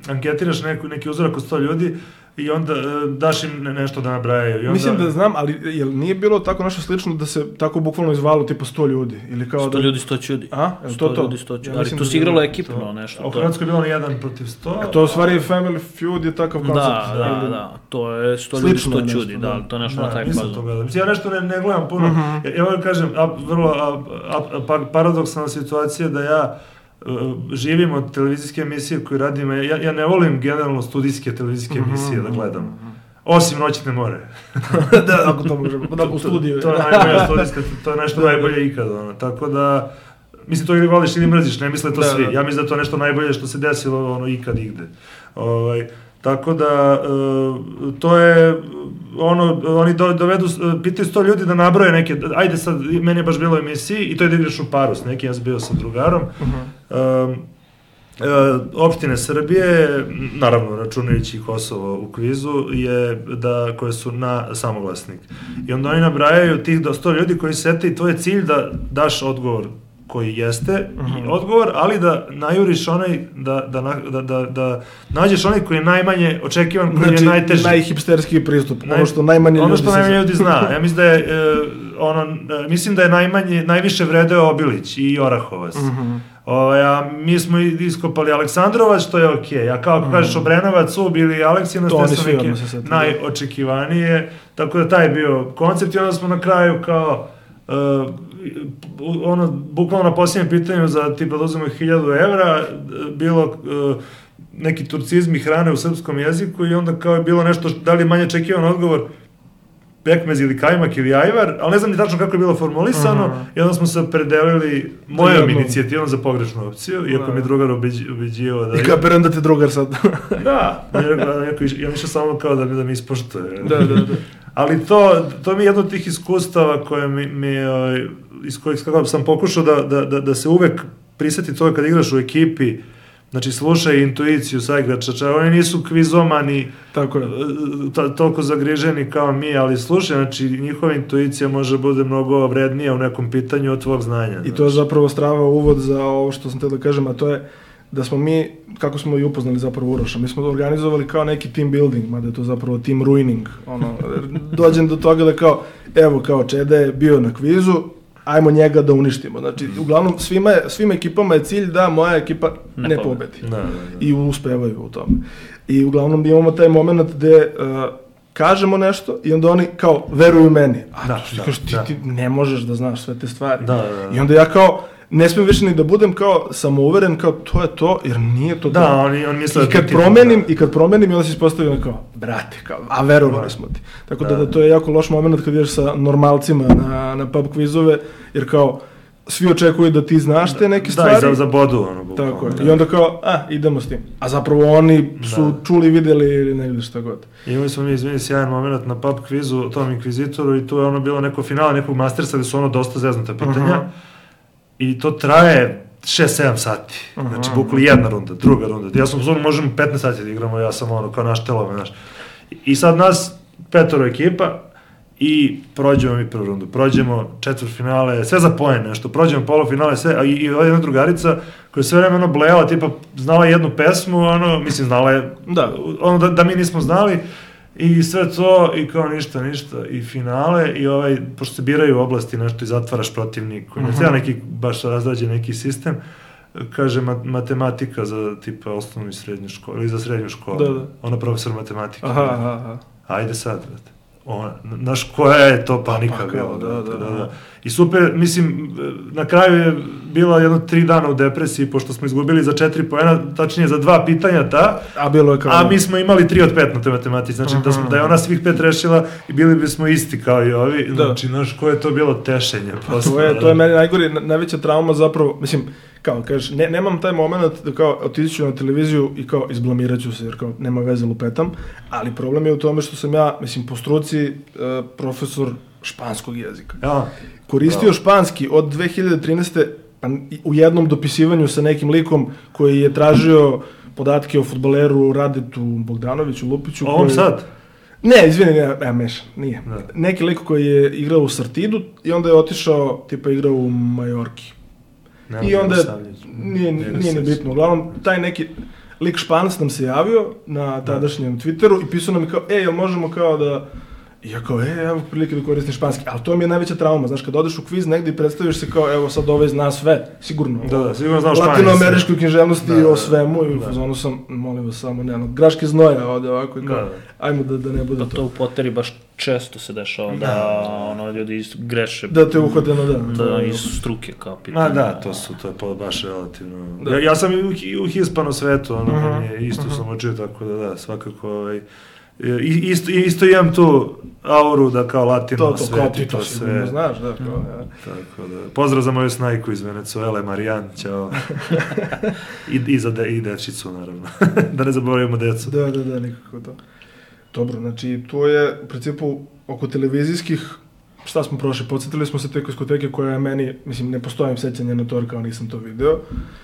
Speaker 4: anketiraš neku, neki uzorak od sto ljudi, i onda uh, daš im nešto da nabrajaju. I onda...
Speaker 1: Mislim da znam, ali jel nije bilo tako nešto slično da se tako bukvalno izvalo tipa sto ljudi? Ili kao
Speaker 5: sto
Speaker 1: da...
Speaker 5: ljudi, sto ljudi.
Speaker 1: A?
Speaker 5: sto
Speaker 1: to
Speaker 5: ljudi, sto ljudi. Ja, ali tu si igralo ekipno
Speaker 1: to...
Speaker 5: nešto.
Speaker 4: A u Hrvatskoj je bilo na jedan protiv sto.
Speaker 1: A to u stvari Family Feud je takav koncept.
Speaker 5: Da, da, da, da. To je sto ljudi, sto ljudi, da, to je nešto da, na taj fazu.
Speaker 4: Mislim, ja nešto ne, ne gledam puno. Uh-huh. Ja, ja vam kažem, a, vrlo a, a, a, paradoksalna situacija da ja živim od televizijske emisije koju radim. Ja, ja ne volim generalno studijske televizijske emisije da gledam. Osim Noćne more.
Speaker 1: Da, ako to možemo, da u studiju.
Speaker 4: To je najbolja studijska, to je nešto najbolje ikad, ono. Tako da, mislim, to ili voliš ili mrziš, ne misle to da, svi. Da. Ja mislim da to nešto najbolje što se desilo, ono, ikad igde. Ovaj, tako da, uh, to je, ono, oni do, dovedu, pitaju sto ljudi da nabroje neke, ajde sad, meni je baš bilo u emisiji, i to je da igraš u paru s neki, ja sam bio sa drugarom, uh-huh. um, E, opštine Srbije, naravno računajući Kosovo u kvizu, je da, koje su na samoglasnik. I onda oni nabrajaju tih do sto ljudi koji sete i tvoj je cilj da daš odgovor koji jeste, uh-huh. i odgovor, ali da najuriš onaj, da, da, da, da, da nađeš onaj koji je najmanje očekivan, koji znači, je najteži.
Speaker 1: Najhipsterski pristup, Naj, ono što najmanje
Speaker 4: ono
Speaker 1: ljudi,
Speaker 4: što najmanje ljudi zna. Ja mislim da je, e, ono, mislim da je najmanje, najviše vredeo Obilić i Orahovac. Uh-huh. O, ja, mi smo iskopali Aleksandrovac, što je okej. Okay. A kao ako mm. kažeš Obrenovac, Ub ili Aleksinac, to su neke najočekivanije. Tako da taj je bio koncept i onda smo na kraju kao uh, ono, bukvalno na posljednjem pitanju za tipa da uzmemo hiljadu evra, bilo uh, neki turcizmi hrane u srpskom jeziku i onda kao je bilo nešto, da li je manje očekivan odgovor, pekmez ili kajmak ili ajvar, ali ne znam ni tačno kako je bilo formulisano, uh-huh. i onda smo se opredelili mojom inicijativom za pogrešnu opciju, iako mi je drugar ubeđivao da...
Speaker 1: I kapiram da te drugar sad.
Speaker 4: Da, ja mišao samo kao da mi, da mi ispoštuje.
Speaker 1: Da, da, da.
Speaker 4: Ali to, to mi je jedno od tih iskustava koje mi, mi iz kojih sam pokušao da, da, da, da se uvek prisjeti toga kad igraš u ekipi, znači slušaj intuiciju saigrača, čak oni nisu kvizomani, tako je, to, toliko zagriženi kao mi, ali slušaj, znači njihova intuicija može bude mnogo vrednija u nekom pitanju od tvojeg znanja.
Speaker 1: I
Speaker 4: znači.
Speaker 1: to je zapravo strava uvod za ovo što sam te da kažem, a to je da smo mi, kako smo i upoznali zapravo Uroša, mi smo organizovali kao neki team building, mada je to zapravo team ruining, ono, dođem do toga da kao, evo kao Čeda je bio na kvizu, ajmo njega da uništimo. Znači, uglavnom, svima, je, svim ekipama je cilj da moja ekipa ne, ne pobedi. Da, da, da. I uspevaju u tome. I uglavnom imamo taj moment gde uh, kažemo nešto i onda oni kao veruju meni. A
Speaker 4: da,
Speaker 1: da,
Speaker 4: da,
Speaker 1: ti,
Speaker 4: da.
Speaker 1: ti ne možeš da znaš sve te stvari.
Speaker 4: Da, da, da.
Speaker 1: I onda ja kao, ne smijem više ni da budem kao samouveren, kao to je to, jer nije to
Speaker 4: da,
Speaker 1: to.
Speaker 4: oni, on misle
Speaker 1: I kad promenim, i kad promenim, i onda se ispostavljam kao, brate, kao, a verovali smo ti. Tako da, da, da to je jako loš moment kad ideš sa normalcima na, na pub kvizove, jer kao, svi očekuju da ti znaš te neke stvari.
Speaker 4: Da, i za, za bodu, ono, bukvalno.
Speaker 1: Tako je. I onda kao, a, idemo s tim. A zapravo oni su da. čuli, videli ili ne vidiš šta god.
Speaker 4: Imali smo mi, izvini, sjajan moment na pub kvizu o tom inkvizitoru i tu je ono bilo neko finale nekog mastersa gde su ono dosta zeznuta pitanja. Uh-huh. I to traje šest sedam sati. Uh-huh. Znači, bukvali jedna runda, druga runda. Ja sam uzmano, možemo petnaest sati da igramo, ja sam ono, kao naš telome, znaš. I sad nas, petoro ekipa, i prođemo mi prvu rundu. Prođemo četvrtfinale, sve za poen nešto, prođemo polufinale, sve, a i, i ova jedna drugarica koja je sve vreme ono blejala, tipa, znala jednu pesmu, ono, mislim, znala je, da, ono, da, da mi nismo znali, i sve to, i kao ništa, ništa, i finale, i ovaj, pošto se biraju oblasti, nešto i zatvaraš protivniku, uh-huh. ne treba neki, baš razrađen neki sistem, kaže mat, matematika za tipa osnovnu i srednju školu, ili za srednju školu,
Speaker 1: da, da.
Speaker 4: Ona profesor matematike.
Speaker 1: Aha, aha, aha.
Speaker 4: Ajde sad, brate. Ona, znaš, koja je to panika
Speaker 1: pa,
Speaker 4: bila,
Speaker 1: da, da, da, da.
Speaker 4: I super, mislim, na kraju je bila jedno tri dana u depresiji, pošto smo izgubili za četiri poena, tačnije za dva pitanja ta,
Speaker 1: a, bilo je kao
Speaker 4: a mi smo imali tri od pet na te matematici, znači uh-huh. da, smo, da je ona svih pet rešila i bili bismo isti kao i ovi, znači, znaš, koje je to bilo tešenje.
Speaker 1: Posle, to, je, to je meni najgori, najveća trauma zapravo, mislim, kao, kažeš, ne, nemam taj moment da kao otići ću na televiziju i kao izblamirat ću se, jer kao nema veze lupetam, ali problem je u tome što sam ja, mislim, po struci uh, profesor španskog jezika.
Speaker 4: Ja.
Speaker 1: Koristio ja. španski od dve hiljade trinaeste pa u jednom dopisivanju sa nekim likom koji je tražio podatke o fudbaleru Radetu Bogdanoviću, Lupiću.
Speaker 4: O ovom sad?
Speaker 1: Ne, izvini, ne, ja mešam, nije.
Speaker 4: Da.
Speaker 1: Neki lik koji je igrao u Sartidu i onda je otišao, tipa igrao u Majorki. Nema I onda, nije, nije ni bitno, uglavnom, taj neki lik Španac nam se javio na tadašnjem Twitteru i pisao nam je kao, ej, jel možemo kao da, i ja kao, ej, evo prilike da koristim španski, ali to mi je najveća trauma, znaš, kad odeš u kviz negdje i predstaviš se kao, evo sad ovaj zna sve, sigurno,
Speaker 4: da, da, sigurno znao španski,
Speaker 1: latinoameričkoj književnosti da, da, o svemu i u fazonu sam, molim vas samo, ne, no, graške znoja ovdje ovako i kao, da, ajmo da, da ne bude
Speaker 5: pa
Speaker 1: to.
Speaker 5: to u Potteri baš često se dešava, da, da ono, ljudi greše.
Speaker 1: Da te uhvate na dan.
Speaker 5: Da, iz struke kao pitanje.
Speaker 4: Ma da, to su, to je baš relativno. Ja, ja sam i u, u hispano svetu, ono, uh-huh. meni isto uh-huh. sam učio, tako da da, svakako, ovaj, isto, isto imam tu auru da kao latino
Speaker 1: to,
Speaker 4: svet
Speaker 1: i to, to sve. To znaš, da, kao, ja.
Speaker 4: Tako da, pozdrav za moju snajku iz Venecuele, Marijan, ćao. I, i za de, i dečicu, naravno. Da ne zaboravimo decu.
Speaker 1: Da, da, da, nikako to. Dobro, znači, to je, u principu, oko televizijskih, šta smo prošli, podsjetili smo se te diskoteke koja je meni, mislim, ne postojim sećanje na to, kao nisam to video.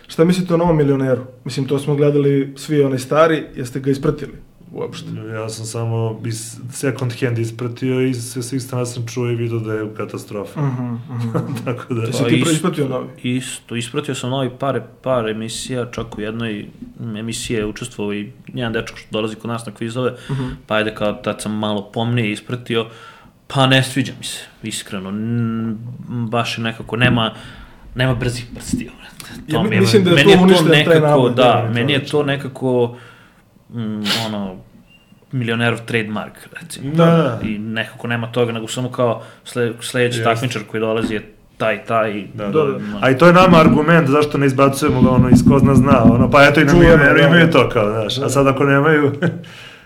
Speaker 1: Šta mislite o Novom milioneru? Mislim, to smo gledali svi onaj stari, jeste ga ispratili uopšte?
Speaker 4: Ja sam samo iz second hand ispratio i sve svih strana sam čuo i vidio da je katastrofa.
Speaker 1: Uh-huh, uh-huh.
Speaker 4: Tako da...
Speaker 1: Jesi ti isto, ispratio novi?
Speaker 5: Isto, ispratio sam novi par, par emisija, čak u jednoj emisiji je učestvovao i jedan dečko što dolazi kod nas na kvizove, uh-huh. pa ajde kao tad sam malo pomnije ispratio, pa ne sviđa mi se, iskreno, N- baš je nekako, nema, nema brzih prstiju.
Speaker 1: Ja, mi, mislim da je to uništen taj navod.
Speaker 5: Da, da, meni je to nekako, mm, ono, milionerov trademark, recimo.
Speaker 4: Da.
Speaker 5: I nekako nema toga, nego samo kao sled, sljedeći yes. takmičar koji dolazi je taj, taj.
Speaker 4: Da, da. A i to je nama argument zašto ne izbacujemo ga ono iz ko zna zna, ono, pa eto i nam imaju, imaju to kao, znaš, a sad ako nemaju...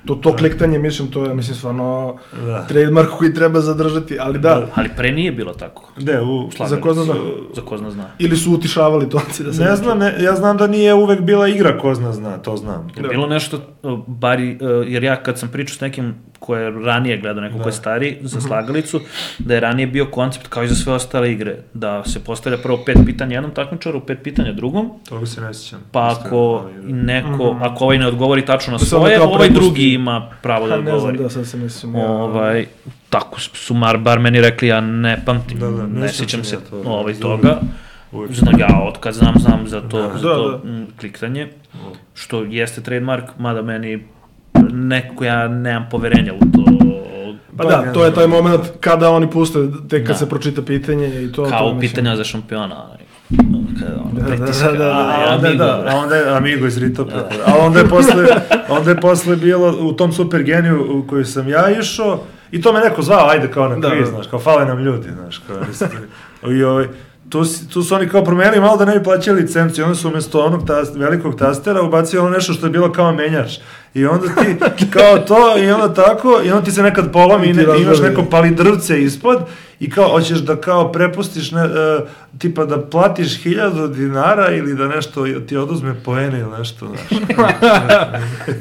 Speaker 1: To, to kliktanje, mislim, to je, mislim, stvarno da. Trademark koji treba zadržati, ali da. da.
Speaker 5: Ali pre nije bilo tako.
Speaker 4: De, u...
Speaker 1: Za ko zna zna.
Speaker 5: Za ko zna zna.
Speaker 1: Ili su utišavali to. Da se
Speaker 4: ne znam, ne, ja znam da nije uvek bila igra ko zna zna, to znam.
Speaker 5: Je bilo nešto, bari, jer ja kad sam pričao s nekim ko je ranije gledao, neko da. ko je stariji, za slagalicu, da je ranije bio koncept kao i za sve ostale igre, da se postavlja prvo pet pitanja jednom takmičaru, pet pitanja drugom.
Speaker 4: Toga se ne sjećam.
Speaker 5: Pa ako neko, mm-hmm. ako ovaj ne odgovori tačno na svoje, ovaj drugi ima pravo da odgovori.
Speaker 1: Ne znam, da, sad se mislim. Ja.
Speaker 5: Ovaj, tako su mar, bar meni rekli, ja ne pamtim, da, da, ne, ne sjećam se to, da, ovaj, toga. Znam, ja od kad znam, znam za to, da, za to da, da. kliktanje, što jeste trademark, mada meni neko, ja nemam poverenja u to.
Speaker 1: Pa da, to je taj moment kada oni puste, tek kad da. se pročita pitanje i to...
Speaker 5: Kao
Speaker 1: to,
Speaker 5: pitanja za šampiona. Kada on
Speaker 1: da,
Speaker 5: pritiska,
Speaker 1: da, da, da,
Speaker 5: da,
Speaker 1: da, da.
Speaker 4: A onda je Amigo iz Ritopa. A onda je posle, onda je posle bilo u tom Super Geniju u koji sam ja išao i to me neko zvao, ajde kao na kviz, znaš, kao fale nam ljudi, znaš, kao i ovaj... Tu, tu su oni kao promenili malo da ne bi plaćali licenciju, onda su umjesto onog tas, velikog tastera ubacili ono nešto što je bilo kao menjač. I onda ti kao to i onda tako i onda ti se nekad polomi i ne, imaš neko palidrvce ispod i kao hoćeš da kao prepustiš ne, uh, tipa da platiš hiljadu dinara ili da nešto ti oduzme poene ili nešto, znaš.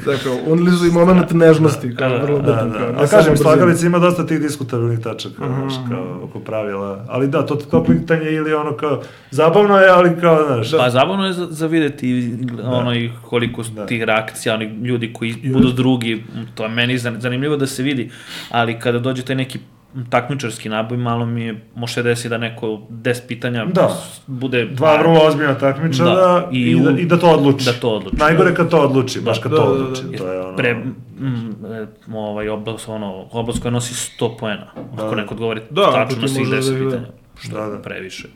Speaker 1: Dakle, unili su i moment nežnosti, kao da, vrlo bitan.
Speaker 4: Da, da. A kažem, slagalica ima dosta tih diskutabilnih tačaka, mm-hmm. znaš, kao oko pravila, ali da, to to kliktanje ili ono kao, zabavno je, ali kao, znaš.
Speaker 5: Pa zabavno je za, za vidjeti ono i koliko da. tih reakcija, oni ljudi koji budu drugi, to je meni zanimljivo da se vidi, ali kada dođe taj neki takmičarski naboj, malo mi je, može desi da neko deset pitanja
Speaker 4: da. bude... Dva vrlo ozbiljna takmičara da. I, i, da, i da to odluči.
Speaker 5: Da to odluči.
Speaker 4: Najgore kad to odluči, baš kad da, to odluči. Da, da, da. To je ono...
Speaker 5: Pre, mm, ovaj oblast, ono, oblast koja nosi sto poena, da. ako neko odgovori
Speaker 1: da,
Speaker 5: tačno na svih deset
Speaker 1: da,
Speaker 5: pitanja, što
Speaker 4: da, da.
Speaker 5: previše.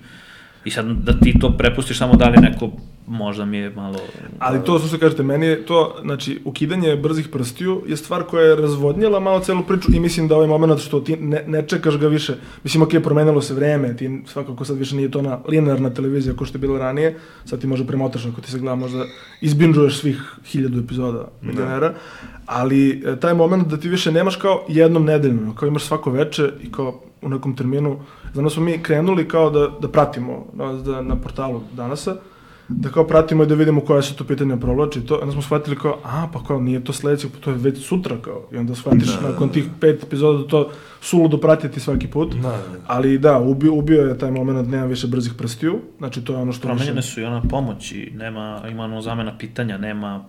Speaker 5: I sad da ti to prepustiš samo da li neko, možda mi je malo...
Speaker 1: Ali to, što se kažete, meni je to, znači, ukidanje brzih prstiju je stvar koja je razvodnjela malo celu priču i mislim da ovaj moment što ti ne, ne čekaš ga više, mislim, ok, promenilo se vreme, ti svakako sad više nije to na linearna televizija kao što je bilo ranije, sad ti možda premotaš ako ti se gleda, možda izbinđuješ svih hiljadu epizoda Milionera, ali taj moment da ti više nemaš kao jednom nedeljno, kao imaš svako veče i kao u nekom terminu, znači smo mi krenuli kao da, da pratimo da, na portalu Danasa, da kao pratimo i da vidimo koja se to pitanja provlači i to, onda smo shvatili kao, a pa kao nije to sledeće, pa to je već sutra kao, i onda shvatiš da, nakon tih pet epizoda da to suludo pratiti svaki put, da, da. Ali da, ubio, ubio je taj moment, nema više brzih prstiju, znači to je ono što...
Speaker 5: Promenjene
Speaker 1: više...
Speaker 5: su i ona pomoć i nema, ima ono zamena pitanja, nema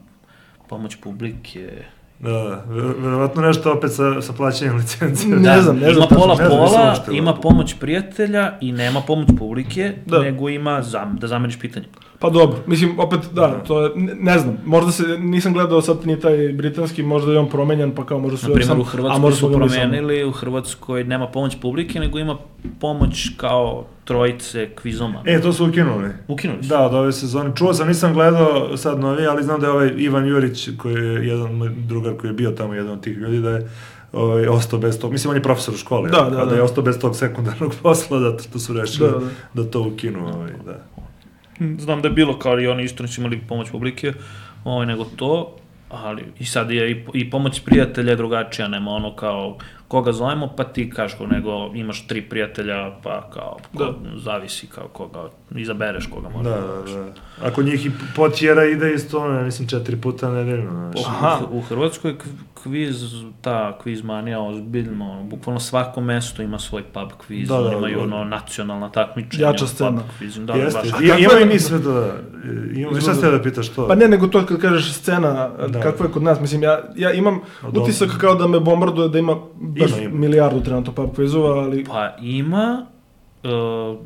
Speaker 5: pomoć publike...
Speaker 4: Da, verovatno nešto opet sa, sa plaćanjem licencije.
Speaker 1: Ne znam, ne znam.
Speaker 5: Ima pola pola, ima pomoć prijatelja i nema pomoć publike, da. nego ima zam, da zameniš pitanje.
Speaker 1: Pa dobro, mislim, opet, da, da. to je, ne, ne znam, možda se, nisam gledao sad ni taj britanski, možda je on promenjan, pa kao možda su...
Speaker 5: Na primjer, u Hrvatskoj su promenili, u Hrvatskoj nema pomoć publike, nego ima pomoć kao trojice kvizoma.
Speaker 4: E, to su ukinuli.
Speaker 5: Ukinuli su.
Speaker 4: Da, od ove sezone. Čuo sam, nisam gledao sad novi, ali znam da je ovaj Ivan Jurić, koji je jedan moj drugar koji je bio tamo, jedan od tih ljudi, da je ovaj, ostao bez tog, mislim, on je profesor u školi,
Speaker 1: da, da, da,
Speaker 4: da je ostao bez tog sekundarnog posla, da to su rešili da, da. da to ukinu, ovaj, da.
Speaker 5: Znam da je bilo kao i oni isto nisu imali pomoć publike, ovaj, nego to, ali i sad je i, i pomoć prijatelja je drugačija, nema ono kao koga zovemo pa ti kažeš, nego imaš tri prijatelja pa kao ko, zavisi kao koga izabereš koga možda.
Speaker 4: Da, da, da. Ako njih i potjera ide isto, ne, mislim četiri puta nedeljno.
Speaker 5: U, u Hrvatskoj kviz, ta kviz manija ozbiljno, bukvalno svako mesto ima svoj pub kviz, da, da, imaju da, da. ono nacionalna takmičenja.
Speaker 1: Jača scena.
Speaker 5: Kviz, da,
Speaker 4: Jeste, I, ima i mi sve da, ima, šta ste da pitaš to?
Speaker 1: Pa ne, nego to kad kažeš scena, da. Kakva je kod nas, mislim, ja, ja imam no, utisak kao da me bombarduje da ima baš ima, ima. milijardu trenutno pub kvizova, ali...
Speaker 5: Pa ima, uh,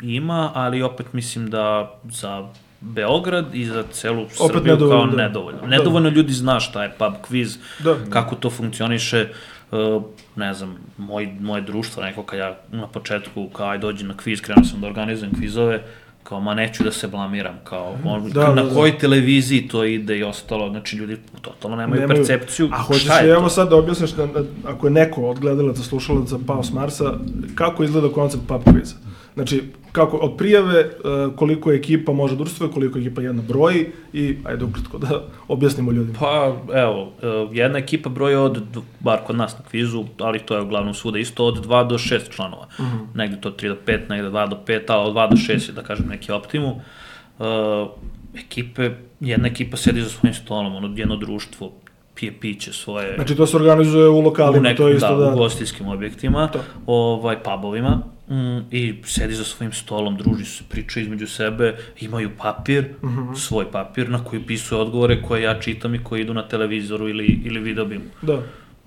Speaker 5: ima, ali opet mislim da za Beograd i za celu Srbiju nedovoljno, kao nedovoljno. Da. Nedovoljno ljudi zna šta je pub kviz, da. Kako to funkcioniše, uh, ne znam, moj, moje društvo, neko kad ja na početku, kao aj dođi na kviz, krenuo sam da organizujem kvizove, kao ma neću da se blamiram, kao on, da, na da, kojoj da. televiziji to ide i ostalo, znači ljudi totalno nemaju, nemaju percepciju.
Speaker 1: A hoćeš li evo sad da objasniš, da, da, ako je neko od gledalaca, slušalaca pao s Marsa, kako izgleda koncept pub kviza? Znači, kako, od prijave, koliko ekipa može da učestvuje, koliko ekipa jedna broji i, ajde ukratko da objasnimo ljudima.
Speaker 5: Pa, evo, jedna ekipa broji od, bar kod nas na kvizu, ali to je uglavnom svuda isto, od dva do šest članova. Mm-hmm. Negde to tri do pet, negde dva do pet, ali od dva do šest je, da kažem, neki optimum. Uh, ekipe, jedna ekipa sedi za svojim stolom, ono, jedno društvo pije piće svoje...
Speaker 1: Znači to se organizuje u lokalima, u nekim, to je isto
Speaker 5: da...
Speaker 1: da...
Speaker 5: u gostijskim objektima, to. ovaj, pubovima, mm, i sedi za svojim stolom, druži se, priča između sebe, imaju papir, mm-hmm. svoj papir na koji pisuje odgovore koje ja čitam i koji idu na televizoru ili, ili videobimu.
Speaker 1: Da.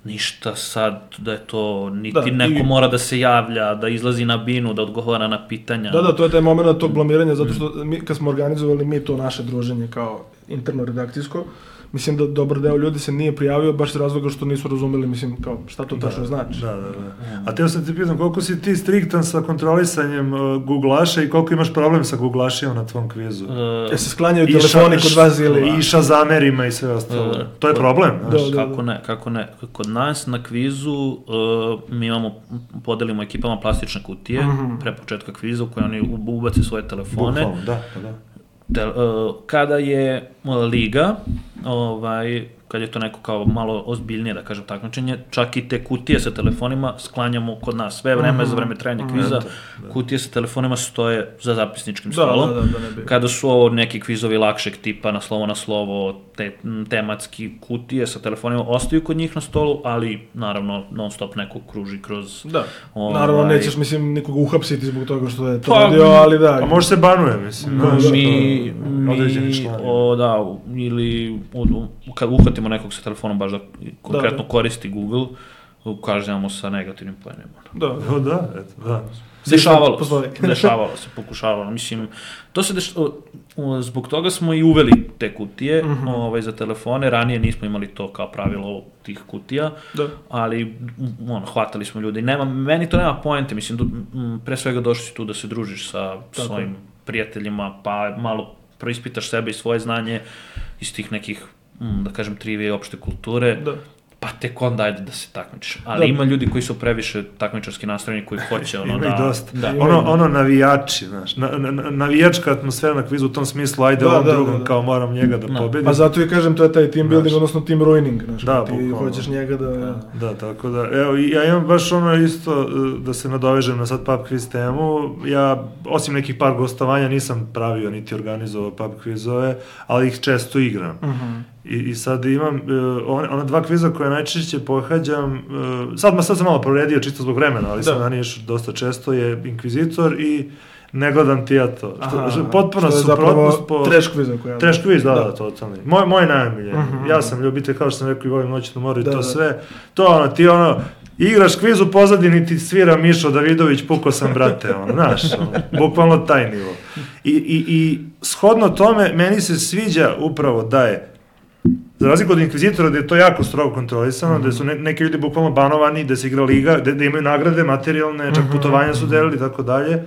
Speaker 5: Ništa sad da je to, niti
Speaker 1: da,
Speaker 5: neko
Speaker 1: i...
Speaker 5: mora da se javlja, da izlazi na binu, da odgovara na pitanja.
Speaker 1: Da, da, to je taj moment tog blamiranja, zato što mi, kad smo organizovali mi to naše druženje kao interno redakcijsko, mislim da dobar deo ljudi se nije prijavio baš iz razloga što nisu razumeli, mislim, kao šta to tačno znači.
Speaker 4: Da, da, da. A teo sam ti pitam, koliko si ti striktan sa kontrolisanjem uh, Googlaša i koliko imaš problem sa Googlašima na tvom kvizu? Uh,
Speaker 1: e se sklanjaju telefoni kod vas ili...
Speaker 4: I šazamerima i sve ostalo. Uh, to je problem,
Speaker 5: znaš? Da, da, da. Kako ne, kako ne. Kod nas na kvizu uh, mi imamo, podelimo ekipama plastične kutije, mm-hmm. pre početka kviza u koje oni ubace svoje telefone.
Speaker 4: Bukvalno, da, da.
Speaker 5: Te, uh, kada je uh, liga, ovaj, kad je to neko kao malo ozbiljnije, da kažem, takmičenje, čak i te kutije sa telefonima sklanjamo kod nas sve vreme, mm-hmm. za vreme trajanja kviza, mm-hmm. kutije sa telefonima stoje za zapisničkim stolom.
Speaker 1: Da, da, da, da,
Speaker 5: kada su ovo neki kvizovi lakšeg tipa, na slovo na slovo, te, tematski kutije sa telefonima ostaju kod njih na stolu, ali naravno non stop neko kruži kroz...
Speaker 1: Da,
Speaker 5: ovaj,
Speaker 1: naravno nećeš, mislim, nikoga uhapsiti zbog toga što je to pa, radio, ali da...
Speaker 4: A može se banuje, mislim.
Speaker 5: No, da, mi, mi, o, da, ili kad uhvatimo nekog sa telefonom baš da konkretno da, da. koristi Google, kažemo sa negativnim poenima.
Speaker 1: Da,
Speaker 4: da, da, eto, da.
Speaker 5: Dešavalo se, dešavalo se, pokušavalo. Mislim, to se deš... zbog toga smo i uveli te kutije mm-hmm. ovaj, za telefone. Ranije nismo imali to kao pravilo tih kutija, da. ali ono, hvatali smo ljudi. Nema, meni to nema poente, mislim, pre svega došli si tu da se družiš sa Tako. svojim prijateljima, pa malo preispitaš sebe i svoje znanje iz tih nekih, da kažem, trivije i opšte kulture. Da. Pa tek onda ajde da se takmičiš. Ali da. ima ljudi koji su previše takmičarski nastrojeni, koji hoće ono da...
Speaker 4: dosta. Da. Ono, ono navijači, znaš, na, na, navijačka atmosfera na kvizu u tom smislu, ajde da, ovom da, drugom, da, da. kao moram njega da no. pobedim.
Speaker 1: Pa zato i kažem, to je taj team building, znaš. odnosno team ruining, znaš,
Speaker 4: da,
Speaker 1: ti bukvalno. hoćeš njega da...
Speaker 4: Da, da, tako da, evo, ja imam baš ono isto, da se nadovežem na sad pub quiz temu, ja, osim nekih par gostovanja, nisam pravio niti organizovao pub quizove, ali ih često igram. Uh-huh. I, I sad imam, uh, ona, ona dva kviza koje najčešće pohađam, uh, sad, ma, sad sam malo proredio čisto zbog vremena, ali da. sam ranije dosta često, je Inkvizitor i Ne gledam ti ja to. Aha, što, potpuno suprotnost po...
Speaker 1: Trash kviza koja...
Speaker 4: Trash kviz, da, da, da, totalni. Moj, moj najmiljeniji. Uh-huh. Ja sam ljubitelj, kao što sam rekao, i volim noćnu moru i da, to da. sve. To ono, ti ono, igraš kviz u pozadini, ti svira Mišo Davidović, puko sam brate, ono, znaš, ono, bukvalno taj nivo. I, i, I shodno tome, meni se sviđa upravo da je, za razliku od Inkvizitora, gde je to jako strogo kontrolisano, mm-hmm. gde su ne, neki ljudi bukvalno banovani, gde se igra liga, gde, gde imaju nagrade materijalne, čak mm-hmm. putovanja su delili i tako dalje.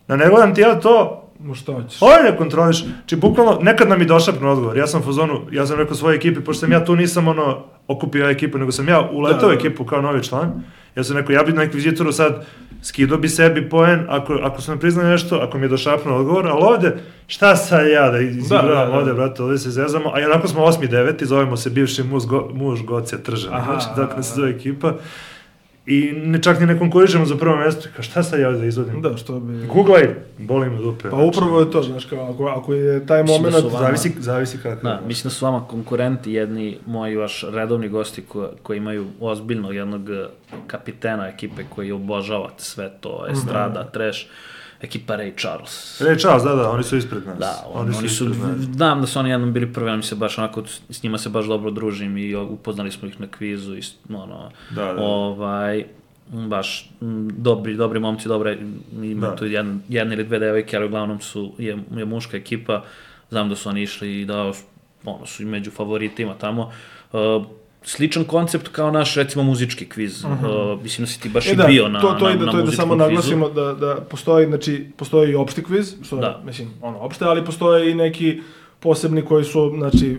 Speaker 4: Da ne gledam ti ja to,
Speaker 1: šta hoćeš?
Speaker 4: Ovo ne kontroliš. Či bukvalno, nekad nam i došapno odgovor. Ja sam u fazonu, ja sam rekao svojoj ekipi, pošto sam ja tu nisam ono, okupio ekipu, nego sam ja uletao da, da. ekipu kao novi član. Ja sam rekao, ja bi na Inkvizitoru sad skido bi sebi poen, ako, ako su me priznali nešto, ako mi je došapno odgovor, ali ovde, šta sad ja da izigravam da, da, da. ovde, brate, ovde se zezamo, a jednako smo osmi deveti, zovemo se bivši muž, go, muž Gocija Tržan, znači, tako se zove ekipa. I ne, čak ni ne konkurišemo za prvo mjesto, kao šta sad ja da izvodim?
Speaker 1: Da, što bi...
Speaker 4: Googlaj, boli me dupe.
Speaker 1: Pa upravo je to, znaš, kao, ako, ako je taj moment,
Speaker 5: vama,
Speaker 4: zavisi, zavisi kako.
Speaker 5: Da, mislim da su vama konkurenti jedni, moji vaš redovni gosti ko, koji imaju ozbiljnog jednog kapitena ekipe koji obožavate sve to, estrada, mm-hmm. trash, ekipa Ray Charles.
Speaker 4: Ray Charles, da, da, oni su ispred nas.
Speaker 5: Da, on, oni, oni su, znam da su oni jednom bili prvi, oni se baš onako, s njima se baš dobro družim i upoznali smo ih na kvizu i ono,
Speaker 4: da, da.
Speaker 5: ovaj, baš dobri, dobri momci, dobre, ima tu jedan, jedna ili dve devojke, ali uglavnom su, je, je muška ekipa, znam da su oni išli i da, ono, su i među favoritima tamo. Uh, Sličan koncept kao naš, recimo, muzički kviz. Uh-huh. Uh, mislim da si ti baš e, i
Speaker 1: da,
Speaker 5: bio na,
Speaker 1: to, to
Speaker 5: na,
Speaker 1: ide,
Speaker 5: na
Speaker 1: to
Speaker 5: muzičkom
Speaker 1: kvizu. To je da samo naglasimo da, da postoji, znači, postoji i opšti kviz, što je, mislim, ono, opšte, ali postoje i neki posebni koji su, znači,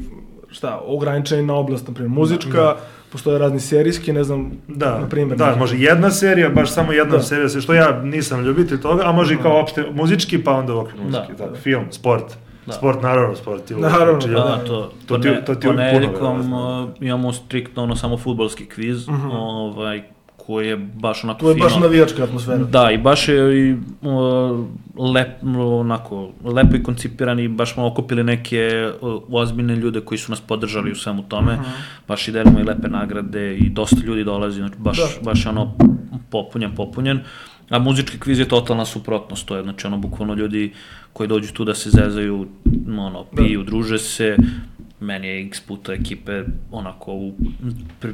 Speaker 1: šta, ograničeni na oblast, na primjer, muzička, da. Postoje razni serijski, ne znam,
Speaker 4: da,
Speaker 1: na primjer.
Speaker 4: Da, može jedna serija, baš samo jedna da. serija, što ja nisam ljubitelj toga, a može i kao opšte muzički, pa onda okvir muzički, da. Tako, film, sport. Da. Sport, naravno, sport.
Speaker 1: Naravno,
Speaker 5: da, da, to, to, ti, to ti ponedjeljkom uh, imamo striktno ono samo fudbalski kviz, uh-huh. ovaj, koji je baš onako fino.
Speaker 1: To je baš navijačka atmosfera.
Speaker 5: Da, i baš je i, uh, lep, onako, lepo i koncipiran i baš smo okupili neke uh, ozbiljne ljude koji su nas podržali u svemu tome. Uh-huh. Baš i delimo i lepe nagrade i dosta ljudi dolazi, znači baš, da. baš je ono popunjen, popunjen. A muzički kviz je totalna suprotnost, to je znači ono bukvalno ljudi koji dođu tu da se zezaju, ono, piju, da. druže se. Meni je x puta ekipe onako u, pri,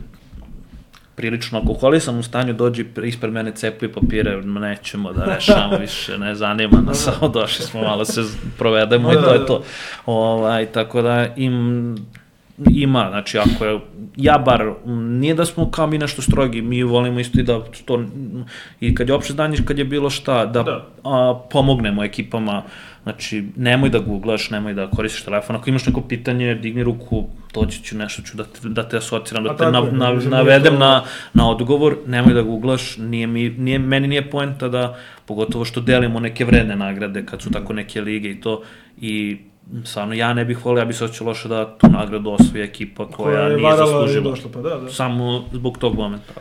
Speaker 5: prilično alkoholisan u stanju, dođi ispred mene cepuje papire, nećemo da rešamo više, ne zanima nas, samo došli smo malo se provedemo i to je to. Ovaj, tako da im... Ima, znači ako je, ja bar, nije da smo kao mi nešto strogi, mi volimo isto i da to, i kad je opšte znanje, kad je bilo šta, da, da. A, pomognemo ekipama, znači nemoj da googlaš, nemoj da koristiš telefon, ako imaš neko pitanje, digni ruku, doći ću nešto, ću da te, da te asociram, da te na, na, navedem to... na, na odgovor, nemoj da googlaš, nije mi, nije, meni nije poenta da, pogotovo što delimo neke vredne nagrade, kad su tako neke lige i to, i stvarno, ja ne bih volio, ja bih se osjećao loše da tu nagradu osvoji ekipa koja, koja nije zaslužila. Došla, pa da, da. Samo zbog tog momenta.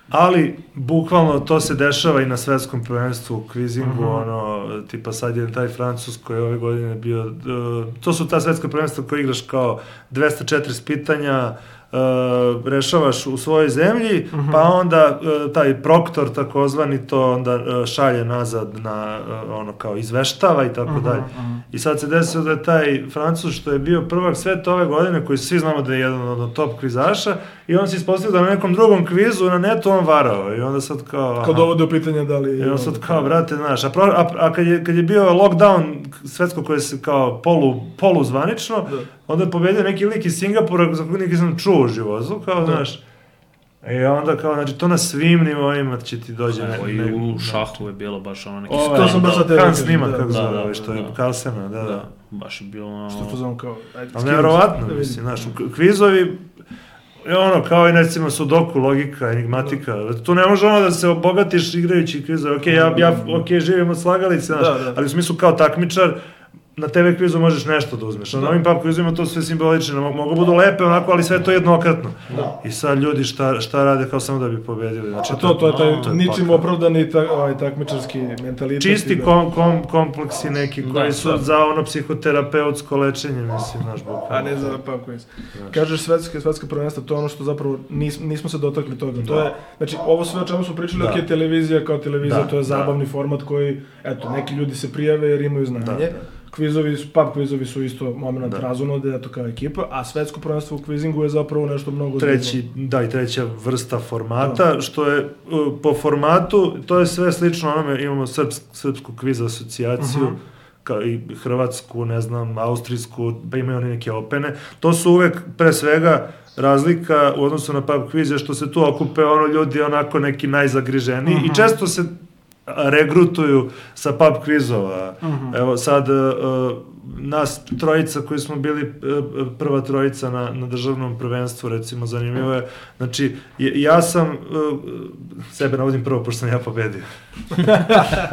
Speaker 4: Ali, bukvalno, to se dešava i na svetskom prvenstvu u kvizingu, uh-huh. ono, tipa sad je taj Francus koji je ove godine bio, uh, to su ta svetska prvenstva koje igraš kao dvesta četrdeset pitanja, Uh, rešavaš u svojoj zemlji, uh-huh. pa onda uh, taj proktor takozvani to onda uh, šalje nazad na uh, ono kao izveštava i tako uh-huh, dalje. Uh-huh. I sad se desilo da je taj Francus što je bio prvak sveta ove godine, koji svi znamo da je jedan od top kvizaša, i on se ispostavio da na nekom drugom kvizu na netu on varao i onda sad kao... Aha.
Speaker 1: Kao dovode u pitanje da li...
Speaker 4: I onda sad kao, brate, znaš, a, pro, a, a kad, je, kad je bio lockdown svetsko koje se kao polu, polu zvanično, da. Onda je pobedio neki lik iz Singapura za kojeg neki sam čuo u životu, kao, da. Znaš, i onda kao, znači, to na svim nivoima će ti dođe...
Speaker 5: Evo, ne, i u šahu je bilo baš ono neki...
Speaker 1: Ovo, to sam baš za tebe.
Speaker 4: Hans snima, kako zove, da, da, što je Carlsena, da, da.
Speaker 5: Baš je bilo...
Speaker 1: Što to znam kao...
Speaker 4: Ali nevjerovatno, mislim, znaš, kvizovi, ono, kao i recimo sudoku, logika, enigmatika, tu ne može ono da se obogatiš igrajući kvizove, okej, ja, ja, okej, živim od slagalice, znaš, ali u smislu kao takmičar, na te ve kvizu možeš nešto da uzmeš. Na ovim pub kvizima to sve simbolično, mogu budu lepe onako, ali sve to jednokratno. Da. I sad ljudi šta, šta rade kao samo da bi pobedili. Znači,
Speaker 1: a to, to je taj to je ničim pakao. Opravdani ta, ovaj, takmičarski mentalitet.
Speaker 4: Čisti kom, kom, kompleksi neki koji da, su da. Za ono psihoterapeutsko lečenje, mislim, znaš, bukvalno.
Speaker 1: A ne za pub kviz. Kažeš svetske, svetska prvenstva, to je ono što zapravo nis, nismo se dotakli toga. Da. To je, znači, ovo sve o čemu smo pričali, da. Ok, televizija kao televizija, da. To je zabavni da. Format koji, eto, neki ljudi se prijave jer imaju znanje. Da, da. Kvizovi, pub kvizovi su isto moment razonode, eto kao ekipa, a svetsko prvenstvo u kvizingu je zapravo nešto mnogo
Speaker 4: treći, da, i treća vrsta formata, da. Što je uh, po formatu, to je sve slično onome, imamo srpsk, srpsku kviz asocijaciju, uh-huh. kao i hrvatsku, ne znam, austrijsku, pa imaju oni neke opene, to su uvek pre svega razlika u odnosu na pub kvize, što se tu okupe ono ljudi onako neki najzagriženiji uh-huh. i često se regrutuju sa pub kvizova. Uh-huh. Evo sad, uh, nas trojica koji smo bili uh, prva trojica na, na državnom prvenstvu, recimo, zanimljivo je, znači, ja sam, uh, sebe navodim prvo, pošto sam ja pobedio.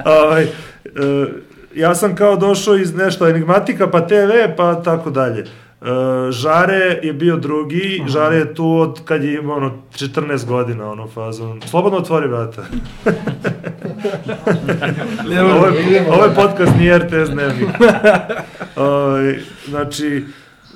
Speaker 4: ovaj, uh, ja sam kao došao iz nešto enigmatika, pa te ve, pa tako dalje. Uh, Žare je bio drugi, uh-huh. Žare je tu od kad je imao ono četrnaest godina, ono fazon. Slobodno otvori vrata. ovo, je, ovo je podcast, nije er te es dnevnik. uh, znači,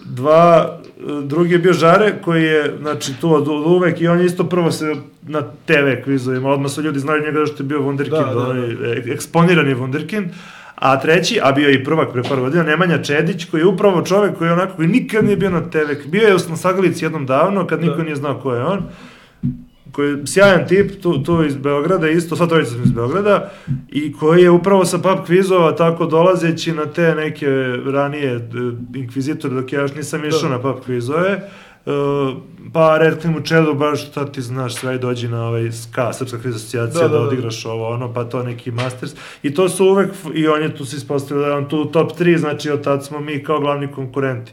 Speaker 4: dva, drugi je bio Žare, koji je, znači, tu od, od uvek i on je isto prvo se na te ve kvizovima, odmah su ljudi znali njega što je bio Wunderkind, da, da, da. Eksponirani Wunderkind. A treći, a bio je i prvak pre par godina, Nemanja Čedić, koji je upravo čovek koji je onako, koji nikad nije bio na te ve, bio je na Sagalici jednom davno, kad niko da. Nije znao ko je on, koji je sjajan tip, tu, tu iz Beograda, isto, sva trojica smo iz Beograda, i koji je upravo sa pub kvizova tako dolazeći na te neke ranije inkvizitore, dok ja još nisam išao na pub kvizove, Uh, pa rekli mu Čedo, baš šta ti znaš, sve dođi na ovaj S K A, Srpska kviz asocijacija, da, da, da odigraš ovo, ono, pa to neki masters, i to su uvek, i on je tu se ispostavio da je on tu top tri, znači od tad smo mi kao glavni konkurenti.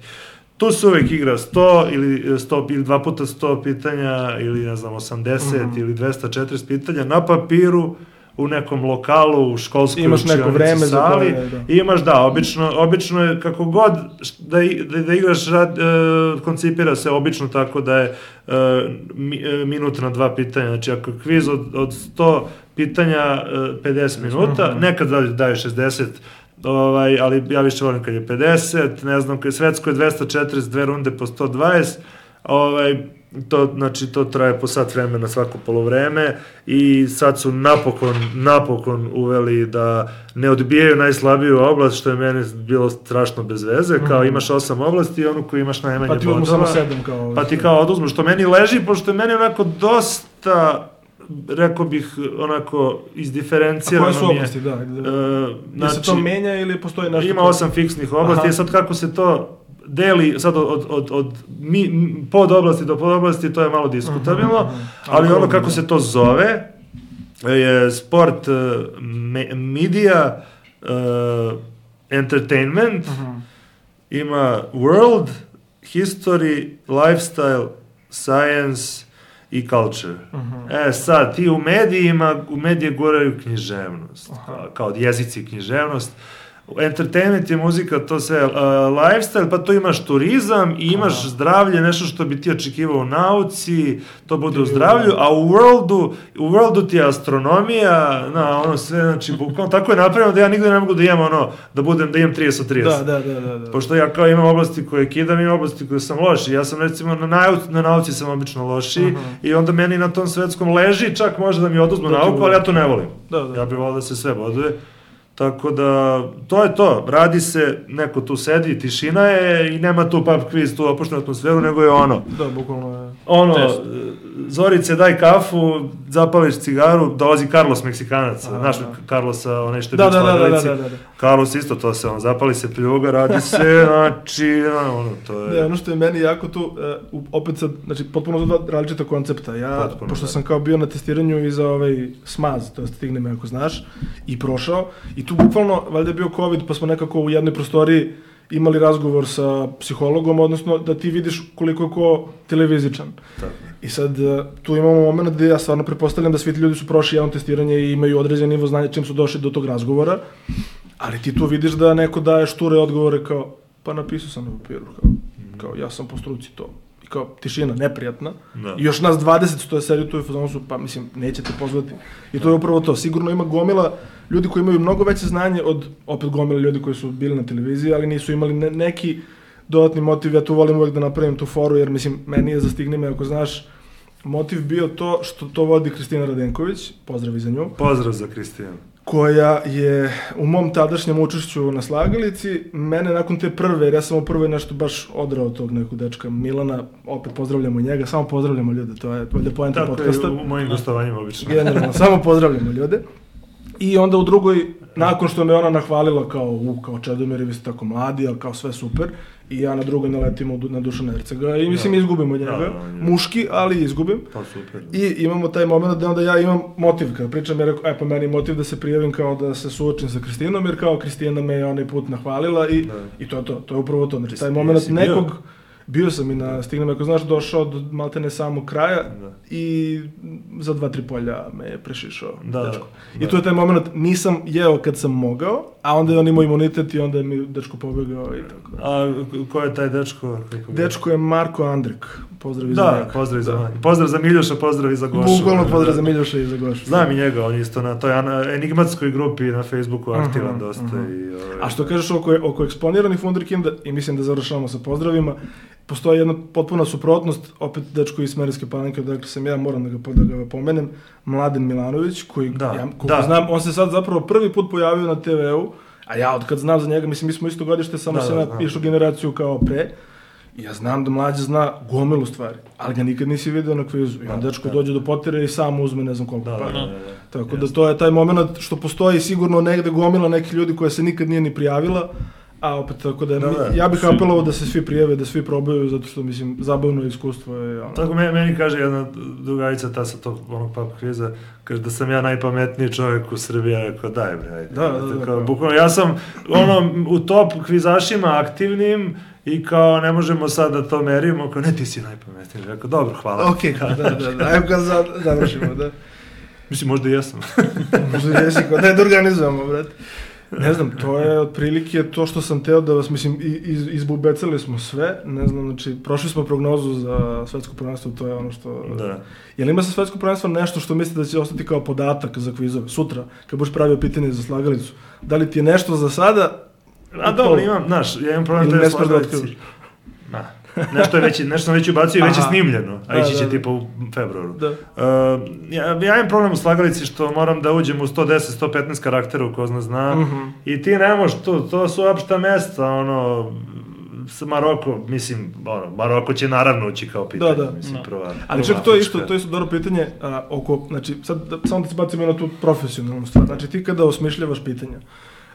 Speaker 4: tu se uvek igra sto ili, sto, ili dva puta sto pitanja ili ne znam osamdeset mm-hmm. ili dvesta četrdeset pitanja na papiru u nekom lokalu, u školskoj
Speaker 1: imaš neko vreme
Speaker 4: sali,
Speaker 1: za koje, da.
Speaker 4: Imaš, da, obično, obično je kako god da, da, da igraš, rad, uh, koncipira se obično tako da je uh, mi, uh, minut na dva pitanja, znači ako je kviz od, od sto pitanja uh, pedeset minuta, mm-hmm. nekad daje šezdeset, ovaj, ali ja više volim kad je pedeset, ne znam, kad je svetsko je dvesta četrdeset dve runde po sto dvadeset, ovaj, to, znači, to traje po sat vremena svako polovreme i sad su napokon, napokon uveli da ne odbijaju najslabiju oblast, što je meni bilo strašno bez veze, kao imaš osam oblasti i onu koju imaš najmanje bodova.
Speaker 1: Pa ti uzmu samo sedam kao...
Speaker 4: Pa ti kao oduzmu, što meni leži, pošto je meni onako dosta, rekao bih, onako izdiferencirano mi je.
Speaker 1: A koje su oblasti, da? da.
Speaker 4: Uh,
Speaker 1: znači, se to menja ili postoji nešto?
Speaker 4: Ima osam fiksnih oblasti, sad kako se to deli sad od, od, od mi, pod oblasti do pod oblasti, to je malo diskutabilno, uh-huh, uh-huh. ali ono kako se to zove je sport, me, media, uh, entertainment, uh-huh. ima world, history, lifestyle, science i culture. Uh-huh. E sad, ti u medijima, u medije goraju književnost, uh-huh. kao jezici književnost. Entertainment je muzika, to sve uh, lifestyle, pa to imaš turizam i imaš Aha. zdravlje, nešto što bi ti očekivao u nauci, to bude u zdravlju, a u worldu, u worldu ti je astronomija, na, ono sve, znači, bukvalno, tako je napravljeno da ja nigde ne mogu da imam ono, da budem, da imam trideset od trideset.
Speaker 1: Da, da, da, da.
Speaker 4: Pošto ja kao imam oblasti koje kidam, imam oblasti koje sam loši. Ja sam recimo na, nauci, na nauci sam obično loši uh-huh. i onda meni na tom svetskom leži, čak može da mi oduzmu da nauku, ali ja to ne volim. Da, da. Ja bih volio da se sve boduje. Tako da, to je to, radi se, neko tu sedi, tišina je i nema tu pub quiz, tu opuštenu atmosferu, nego je ono.
Speaker 1: Da, bukvalno je.
Speaker 4: Ono, test. Zorice, daj kafu, zapališ cigaru, dolazi Carlos Meksikanac, aha, znaš da. Carlosa, onaj što je
Speaker 1: da,
Speaker 4: bio
Speaker 1: da, da, da, da, da.
Speaker 4: Carlos isto to se, on zapali se pljuga, radi se, znači, ono, to je...
Speaker 1: Ne, ono što je meni jako tu, uh, opet sad, znači, potpuno dva različita koncepta. Ja, potpuno, pošto da. sam kao bio na testiranju i za ovaj smaz, to je stigne me ako znaš, i prošao, i tu bukvalno, valjda je bio COVID, pa smo nekako u jednoj prostoriji imali razgovor sa psihologom, odnosno da ti vidiš koliko je ko televizičan. Tako. I sad tu imamo moment gde ja stvarno prepostavljam da svi ti ljudi su prošli javno testiranje i imaju određen nivo znanja čim su došli do tog razgovora, ali ti tu vidiš da neko daje šture odgovore kao, pa napisao sam na papiru, kao, kao ja sam po struci to. I kao tišina, neprijatna. Da. I još nas dvadeset stoje sedi tu i fazonu su, pa mislim, nećete pozvati. I to je upravo to. Sigurno ima gomila ljudi koji imaju mnogo veće znanje od, opet gomila ljudi koji su bili na televiziji, ali nisu imali ne, neki dodatni motiv. Ja tu volim uvek da napravim tu foru, jer mislim, meni je za Stigni me, ako znaš, motiv bio to što to vodi Kristina Radenković, pozdrav i za nju.
Speaker 4: Pozdrav za Kristinu.
Speaker 1: Koja je u mom tadašnjem učešću na slagalici, mene nakon te prve, jer ja sam u prvoj nešto baš odrao tog nekog dečka Milana, opet pozdravljamo njega, samo pozdravljamo ljude, to je valjda poenta podcasta.
Speaker 4: Tako je u mojim gostovanjima obično.
Speaker 1: Generalno, samo pozdravljamo ljude. I onda u drugoj, nakon što me ona nahvalila kao, u, kao Čedomir, vi ste tako mladi, ali kao sve super, i ja na drugoj naletimo na Dušana Ercega i mislim da. izgubim od njega, da, da, muški, ali izgubim.
Speaker 4: Pa super.
Speaker 1: I imamo taj moment da onda ja imam motiv, kada pričam, ja rekao, e pa meni motiv da se prijavim kao da se suočim sa Kristinom, jer kao Kristina me je onaj put nahvalila i, i to je to, to je upravo to. Znači taj moment nekog, bio? bio sam i na Stignem, ako znaš, došao do maltene samog kraja da. i za dva, tri polja me je prešišao
Speaker 4: da,
Speaker 1: dečko.
Speaker 4: Da.
Speaker 1: I to je taj moment, nisam jeo kad sam mogao, a onda je on imao imunitet i onda je mi dečko pobegao i tako.
Speaker 4: A ko je taj dečko?
Speaker 1: Dečko je Marko Andrik. Pozdrav i za
Speaker 4: da,
Speaker 1: njega.
Speaker 4: Pozdrav i za da. Pozdrav za Miljuša, pozdrav i za Gošu.
Speaker 1: Bukvalno pozdrav za Miljuša i za Gošu.
Speaker 4: Znam i njega, on je isto na toj enigmatskoj grupi na Facebooku aktivan uh-huh, dosta. Uh-huh. I, ove...
Speaker 1: A što kažeš oko, oko eksponiranih Wunderkinda, i mislim da završavamo sa pozdravima, postoji jedna potpuna suprotnost, opet dečko iz Smederevske Palanke, dakle sam ja, moram da ga, da ga pomenem, Mladen Milanović, koji,
Speaker 4: da,
Speaker 1: ja, koliko znam, on se sad zapravo prvi put pojavio na te ve u, a ja od kad znam za njega, mislim, mi smo isto godište, samo da, se da, išao generaciju kao pre, i ja znam da mlađe zna gomilu stvari, ali ga nikad nisi vidio na kvizu. I on da, dečko da. dođe do potire i sam uzme ne znam koliko
Speaker 4: da,
Speaker 1: para.
Speaker 4: Da, da, da.
Speaker 1: Tako Jasne. da to je taj moment što postoji sigurno negde gomila nekih ljudi koja se nikad nije ni prijavila, A opet tako da,
Speaker 4: da, da
Speaker 1: ja bih apelovao da se svi prijave, da svi probaju, zato što mislim zabavno iskustvo je ono.
Speaker 4: Tako meni, meni kaže jedna drugarica ta sa tog onog pub kviza, kaže da sam ja najpametniji čovjek u Srbiji, ja rekao daj bre, ajde.
Speaker 1: Da, da, da,
Speaker 4: kao, bukvalno, ja sam ono u top kvizašima aktivnim i kao ne možemo sad da to merimo, kao ne ti si najpametniji, rekao dobro, hvala.
Speaker 1: Okej, okay, da, da, da, ajmo kad završimo, da.
Speaker 4: Mislim, možda i jesam.
Speaker 1: Možda i jesi, kao da je da organizujemo, brate. Ne znam, to je otprilike to što sam teo da vas, mislim, iz, izbubecali smo sve, ne znam, znači, prošli smo prognozu za svetsko prvenstvo, to je ono što...
Speaker 4: Da.
Speaker 1: Jel ima sa svetsko prvenstvo nešto što mislite da će ostati kao podatak za kvizove, sutra, kad budeš pravio pitanje za slagalicu? Da li ti je nešto za sada?
Speaker 4: A dobro, imam, znaš, ja imam problem
Speaker 1: da
Speaker 4: je slagalici. Da. Nešto je već, nešto već ubacio i već je snimljeno, a ići će da, tipa u februaru. Da. Uh, ja, ja imam problem u slagalici što moram da uđem u sto deset do sto petnaest karaktera u ko zna zna uh -huh. i ti ne možeš to, to su opšta mesta, ono, Maroko, mislim, ono, Maroko će naravno ući kao pitanje,
Speaker 1: da, da.
Speaker 4: mislim,
Speaker 1: No.
Speaker 4: prva.
Speaker 1: Ali čak to je isto, to je isto dobro pitanje a, oko, znači, sad da, samo da se bacimo na tu profesionalnu stvar, znači ti kada osmišljavaš pitanja,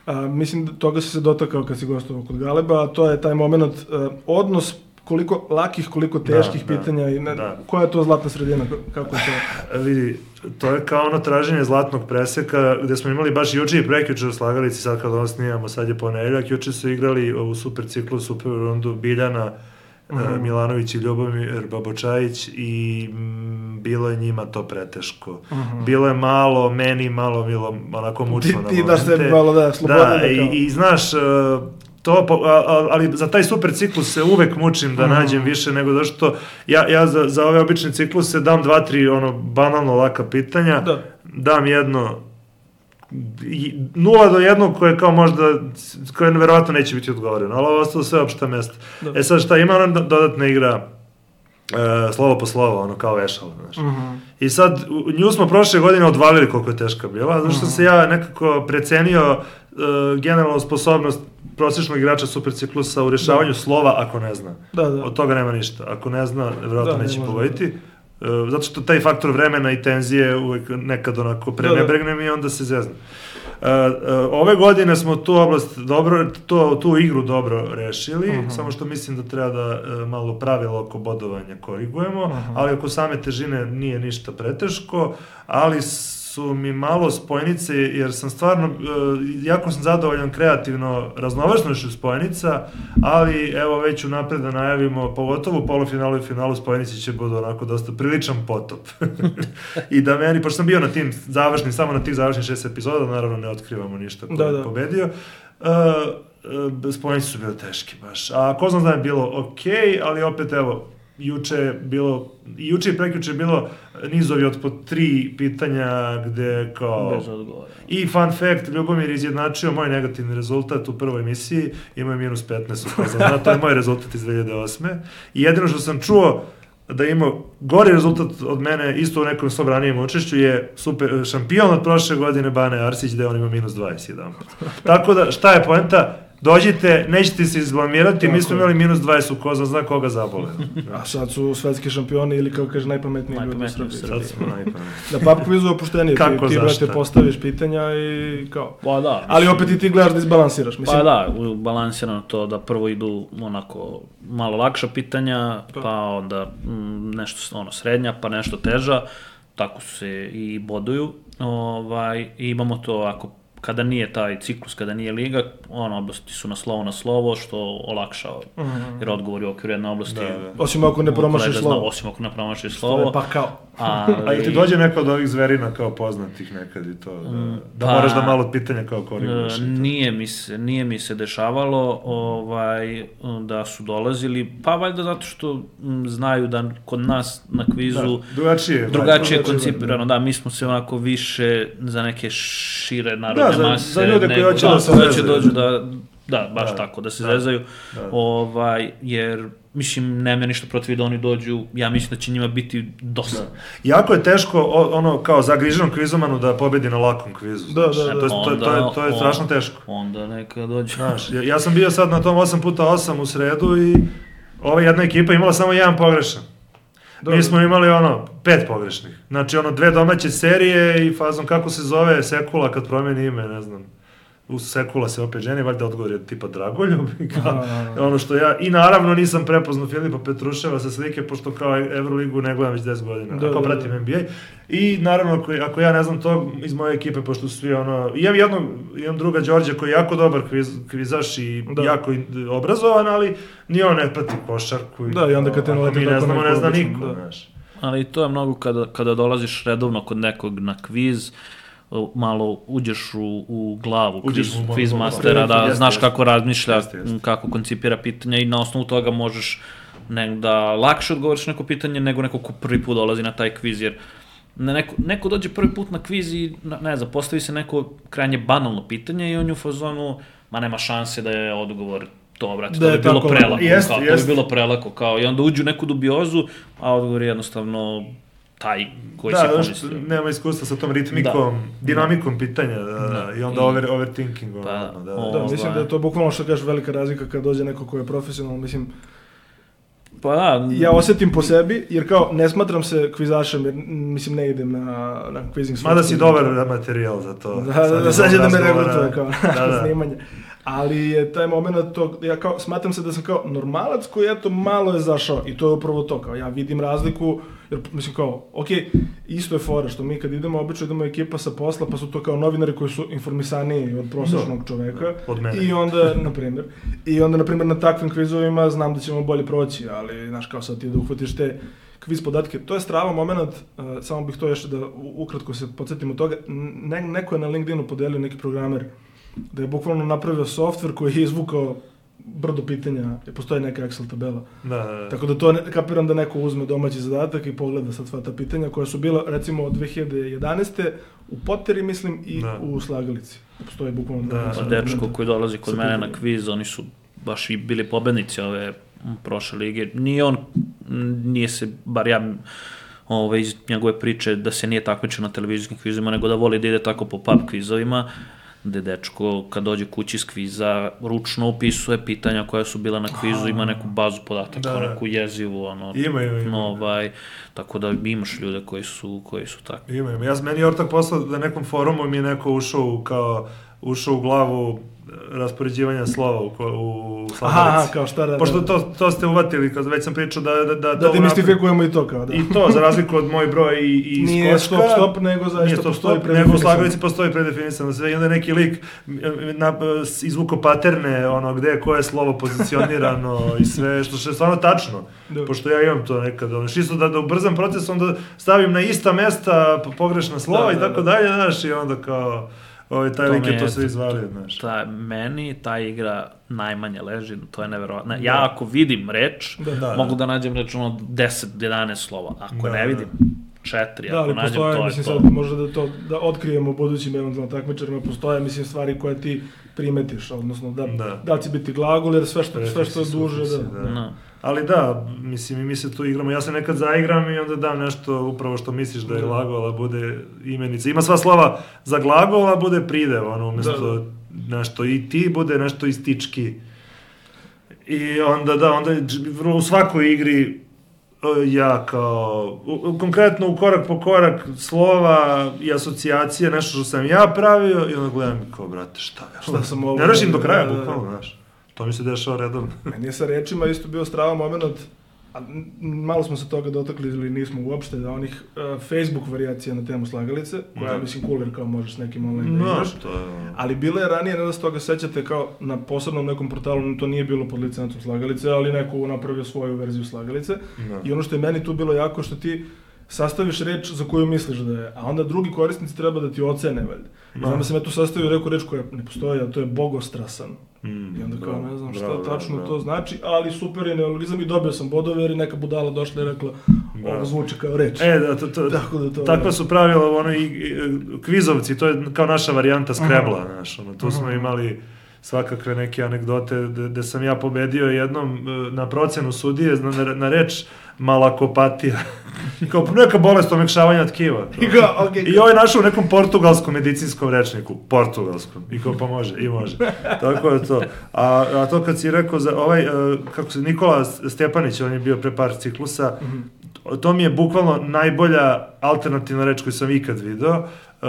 Speaker 1: a, mislim da toga si se dotakao kad si gostovao kod Galeba, a to je taj moment, a, odnos koliko lakih, koliko teških da, pitanja da, i ne, da. Koja je to zlatna sredina, kako je to?
Speaker 4: Vidi, to je kao ono traženje zlatnog preseka, gde smo imali baš juče i prekjuče u slagalici, sad kad ono snimamo, sad je ponedeljak, juče su igrali ovu super ciklu, super rundu Biljana, uh -huh. Milanović i Ljubomir Babočajić i m, bilo je njima to preteško. Uh -huh. Bilo je malo, meni malo bilo onako mučno
Speaker 1: ti,
Speaker 4: na momente.
Speaker 1: Ti daš sebi malo, da, slobodno.
Speaker 4: Da, i, i znaš, to, ali za taj super ciklus se uvek mučim da nađem više nego zašto ja, ja za, za ove obične cikluse dam dva, tri ono banalno laka pitanja, da. Dam jedno nula do jednog koje kao možda, koje verovatno neće biti odgovoreno, ali ovo ostalo sve opšta mesta. Da. E sad šta, ima ona dodatna igra e, slovo po slovo, ono kao vešalo, znaš. Uh -huh. I sad, nju smo prošle godine odvalili koliko je teška bila, zato što uh -huh. se ja nekako precenio Uh, generalnu sposobnost prosječnog igrača superciklusa u rješavanju da. Slova ako ne zna. Da, da. Od toga nema ništa. Ako ne zna, vjerojatno da, neće ne pogoditi. Uh, zato što taj faktor vremena i tenzije uvijek nekad onako prenebregnem da, da. I onda se zezna. Uh, uh, ove godine smo tu oblast dobro, to, tu igru dobro rešili, uh -huh. samo što mislim da treba da uh, malo pravilo oko bodovanja korigujemo, uh -huh. ali oko same težine nije ništa preteško, ali su mi malo spojnice, jer sam stvarno, jako sam zadovoljan kreativno raznovrstnošću spojnica, ali evo već unapred da najavimo, pogotovo u polufinalu i finalu spojnici će budu onako dosta priličan potop. I da meni, pošto sam bio na tim završnim, samo na tih završnih šest epizoda, naravno ne otkrivamo ništa ko da, je da. pobedio, uh, uh, spojnici su bile teški baš. A ko znam da je bilo okej, okay, ali opet evo, juče je bilo, juče i prekjuče je bilo nizovi od po tri pitanja gde kao...
Speaker 5: Bez odgovora.
Speaker 4: I fun fact, Ljubomir izjednačio moj negativni rezultat u prvoj emisiji, imao je minus petnaest, upoznam, to je moj rezultat iz dve hiljade osme. I jedino što sam čuo da imao gori rezultat od mene, isto u nekom svom ranijem učešću, je super šampion od prošle godine Bane Arsić, gde on ima minus dvadeset jedan. Tako da, šta je poenta? Dođite, nećete se izblamirati, mi smo imali minus dvadeset u ko zna koga zabole.
Speaker 1: A sad su svetski šampioni ili kao kaže najpametniji ljudi u Srbiji.
Speaker 4: Sad smo najpametniji.
Speaker 1: Da pub kvizu je opuštenije, ti, ti brate postaviš pitanja i kao.
Speaker 5: Pa da.
Speaker 1: Ali opet i ti gledaš da izbalansiraš. Mislim.
Speaker 5: Pa da, balansirano to da prvo idu onako malo lakša pitanja, pa onda m, nešto ono srednja, pa nešto teža, tako su se i boduju. Ovaj, i imamo to ako kada nije taj ciklus, kada nije liga, ono, oblasti su na slovo na slovo, što olakšava, mm -hmm. jer odgovori u okviru jedne oblasti... Da, da.
Speaker 1: Osim ako ne promašiš slovo.
Speaker 5: Zna, osim ako ne promašiš slovo.
Speaker 1: Pa kao.
Speaker 4: Ali... A i ti dođe neko od ovih zverina kao poznatih nekad i to, da, da pa, moraš da malo pitanja kao koriguješ.
Speaker 5: Nije mi se, nije mi se dešavalo ovaj, da su dolazili, pa valjda zato što m, znaju da kod nas na kvizu
Speaker 4: da, drugačije,
Speaker 5: drugačije je koncipirano, da, mi smo se onako više za neke šire narodne
Speaker 4: da,
Speaker 5: mase.
Speaker 4: Za, za ljude koji hoće da,
Speaker 5: da
Speaker 4: se
Speaker 5: zezaju. Dođu da, da, baš da, tako, da se
Speaker 4: da,
Speaker 5: zezaju,
Speaker 4: da.
Speaker 5: Ovaj, jer mislim, nema ništa protiv da oni dođu, ja mislim da će njima biti dosta. Da.
Speaker 4: Jako je teško, ono, kao zagriženom kvizomanu da pobedi na lakom kvizu.
Speaker 1: Da, da, da.
Speaker 4: To je, to, to je, to je strašno teško.
Speaker 5: Onda neka dođe.
Speaker 4: Znaš, ja, ja sam bio sad na tom osam puta osam u sredu i ova jedna ekipa imala samo jedan pogrešan. Da, mi smo imali ono, pet pogrešnih. Znači ono, dve domaće serije i fazom kako se zove Sekula kad promeni ime, ne znam. usekula se opet ženi, valjda odgovor je tipa Dragoljub, i kao, ono što ja, i naravno nisam prepoznao Filipa Petruševa sa slike, pošto kao Euroligu ne gledam već deset godina, da, kao pratim N B A, i naravno ako, ako ja ne znam to iz moje ekipe, pošto su svi ono, imam jednog, imam druga Đorđe koji je jako dobar kviz, kvizaš i da. jako obrazovan, ali ni on ne prati košarku,
Speaker 1: da, i onda kad te
Speaker 4: naleti, mi ne znamo, ne zna niko,
Speaker 5: da. Znaš. Ali to je mnogo kada, kada dolaziš redovno kod nekog na kviz, malo uđeš u, u glavu kviz, u kviz mastera, da jeste, znaš kako razmišlja, jeste, jeste. kako koncipira pitanja i na osnovu toga možeš ne, da lakše odgovoriš neko pitanje nego neko ko prvi put dolazi na taj kviz, jer neko, neko dođe prvi put na kviz i ne znam, postavi se neko krajnje banalno pitanje i on je u fazonu, ma nema šanse da je odgovor to, brate, da to bi bilo prelako, jest, kao, jest. to bi bilo prelako, kao, i onda uđu u neku dubiozu, a odgovor je jednostavno taj koji da, si pomislio.
Speaker 4: Da, nema iskustva sa tom ritmikom, da. dinamikom pitanja, da, da. i onda I, over, overthinking. Pa, da, da,
Speaker 1: da, da, mislim da je to bukvalno što kažeš velika razlika kad dođe neko ko je profesionalno, mislim,
Speaker 5: pa da.
Speaker 1: Ja osjetim po sebi, jer kao ne smatram se kvizašem, jer mislim ne idem na, na kvizing.
Speaker 4: Mada si dobar materijal za to.
Speaker 1: Da, da, da, sad će da me regrutuje kao da, da. snimanje. Ali je taj moment to, ja kao, smatram se da sam kao normalac koji eto malo je zašao i to je upravo to, kao ja vidim razliku, jer mislim kao, ok, isto je fora što mi kad idemo, obično idemo ekipa sa posla, pa su to kao novinari koji su informisaniji od prosječnog no, čoveka.
Speaker 4: Od mene.
Speaker 1: I onda, na primjer, i onda, na primjer, na takvim kvizovima znam da ćemo bolje proći, ali, znaš, kao sad ti da uhvatiš te kviz podatke, to je strava moment, uh, samo bih to još da ukratko se podsjetimo toga, ne, neko je na LinkedInu podelio neki programer, da je bukvalno napravio softver koji je izvukao brdo pitanja, je postoji neka Excel tabela.
Speaker 4: Da, da, da.
Speaker 1: Tako da to ne, kapiram da neko uzme domaći zadatak i pogleda sad sva ta pitanja koja su bila recimo od dve hiljade jedanaeste u Poteri, mislim, i da. u Slagalici. Postoji bukvalno...
Speaker 5: Da, da, da, dečko koji dolazi kod mene na kviz, oni su baš i bili pobednici ove prošle lige. Nije on, nije se, bar ja ove, iz njegove priče, da se nije takmičio na televizijskim kvizima, nego da voli da ide tako po pub kvizovima, gde dečko, kad dođe kući iz kviza, ručno upisuje pitanja koja su bila na kvizu, ima neku bazu podataka, da, neku jezivu, ono,
Speaker 4: ima, ima, ima.
Speaker 5: Ovaj, tako da imaš ljude koji su, koji su takvi.
Speaker 4: Ima, ima. Ja, meni je ortak poslao da nekom forumu mi je neko ušao kao, ušao u glavu raspoređivanja slova u, u Slagalici.
Speaker 1: Aha, kao šta da...
Speaker 4: Pošto to, to ste uvatili, kad već sam pričao da... Da, da,
Speaker 1: da demistifikujemo i to kao, da.
Speaker 4: I to, za razliku od moj broj i, i iz
Speaker 1: nije Koška. Nije stop, stop, nego zaista stop, postoji predefinisan.
Speaker 4: Nego u Slagalici postoji predefinisano sve. I onda neki lik na, izvuko paterne, ono, gde je koje slovo pozicionirano i sve, što je stvarno tačno. Da. Pošto ja imam to nekad, ono, čisto da, da ubrzam proces, onda stavim na ista mesta pogrešna slova da, i tako da, dalje, znaš, i onda kao... Ovaj, taj lik je to sve izvalio, znaš.
Speaker 5: Ta, meni ta igra najmanje leži, to je neverovatno. Ja ako vidim reč, da, da, mogu da nađem reč ono deset do jedanaest slova. Ako da, ne vidim, četiri,
Speaker 1: da,
Speaker 5: ako nađem
Speaker 1: postoje,
Speaker 5: to
Speaker 1: mislim,
Speaker 5: je to.
Speaker 1: Sad možda da to da otkrijemo budućim eventualno takmičarima, postoje, mislim, stvari koje ti primetiš, odnosno da, da. da će biti glagol, jer sve što, sve što je duže, da.
Speaker 4: da. No. Ali da, mislim, i mi se tu igramo, ja se nekad zaigram i onda dam nešto upravo što misliš da je glagol, a bude imenica. Ima sva slova za glagol, a bude pridev, ono, umjesto da, da. nešto i ti, bude nešto istički. I onda, da, onda u svakoj igri ja kao, u, konkretno u korak po korak slova i asocijacije, nešto što sam ja pravio i onda gledam kao, brate, šta ja, šta sam ovo... Ne rešim do kraja, bukvalno, znaš. To mi se dešava redovno.
Speaker 1: Meni je sa rečima isto bio strava moment, a malo smo se toga dotakli ili nismo uopšte, da onih uh, Facebook varijacija na temu Slagalice, koja je, mislim, cool jer kao možeš s nekim online da igraš, no, ali bilo je ranije, ne da se toga sećate, kao na posebnom nekom portalu, to nije bilo pod licencom Slagalice, ali neko napravio svoju verziju Slagalice, no. I ono što je meni tu bilo jako, što ti sastaviš reč za koju misliš da je, a onda drugi korisnici treba da ti ocene, valjda. No. Znam da sam ja tu sastavio neku reč koja ne postoji, a to je bogostrasan. Mm, I onda kao, bravo, ne znam šta bravo, tačno bravo. To znači, ali super je neologizam i dobio sam bodove jer je neka budala došla i rekla, ovo zvuči kao reč.
Speaker 4: E, da, to, to, Tako da to takva su pravila, ono, i, i kvizovci, to je kao naša varijanta Scrabble-a, znaš, ono, tu smo imali svakakve neke anegdote gde sam ja pobedio jednom na procenu sudije na, na reč malakopatija. Kao neka bolest omekšavanja tkiva.
Speaker 1: I, go, okay.
Speaker 4: I ovo je našao u nekom portugalskom medicinskom rečniku. Portugalskom. I kao pa može, i može. Tako je to. A, a to kad si rekao za ovaj, kako se, Nikola Stjepanić, on je bio pre par ciklusa, mm-hmm. to mi je bukvalno najbolja alternativna reč koju sam ikad video. Uh,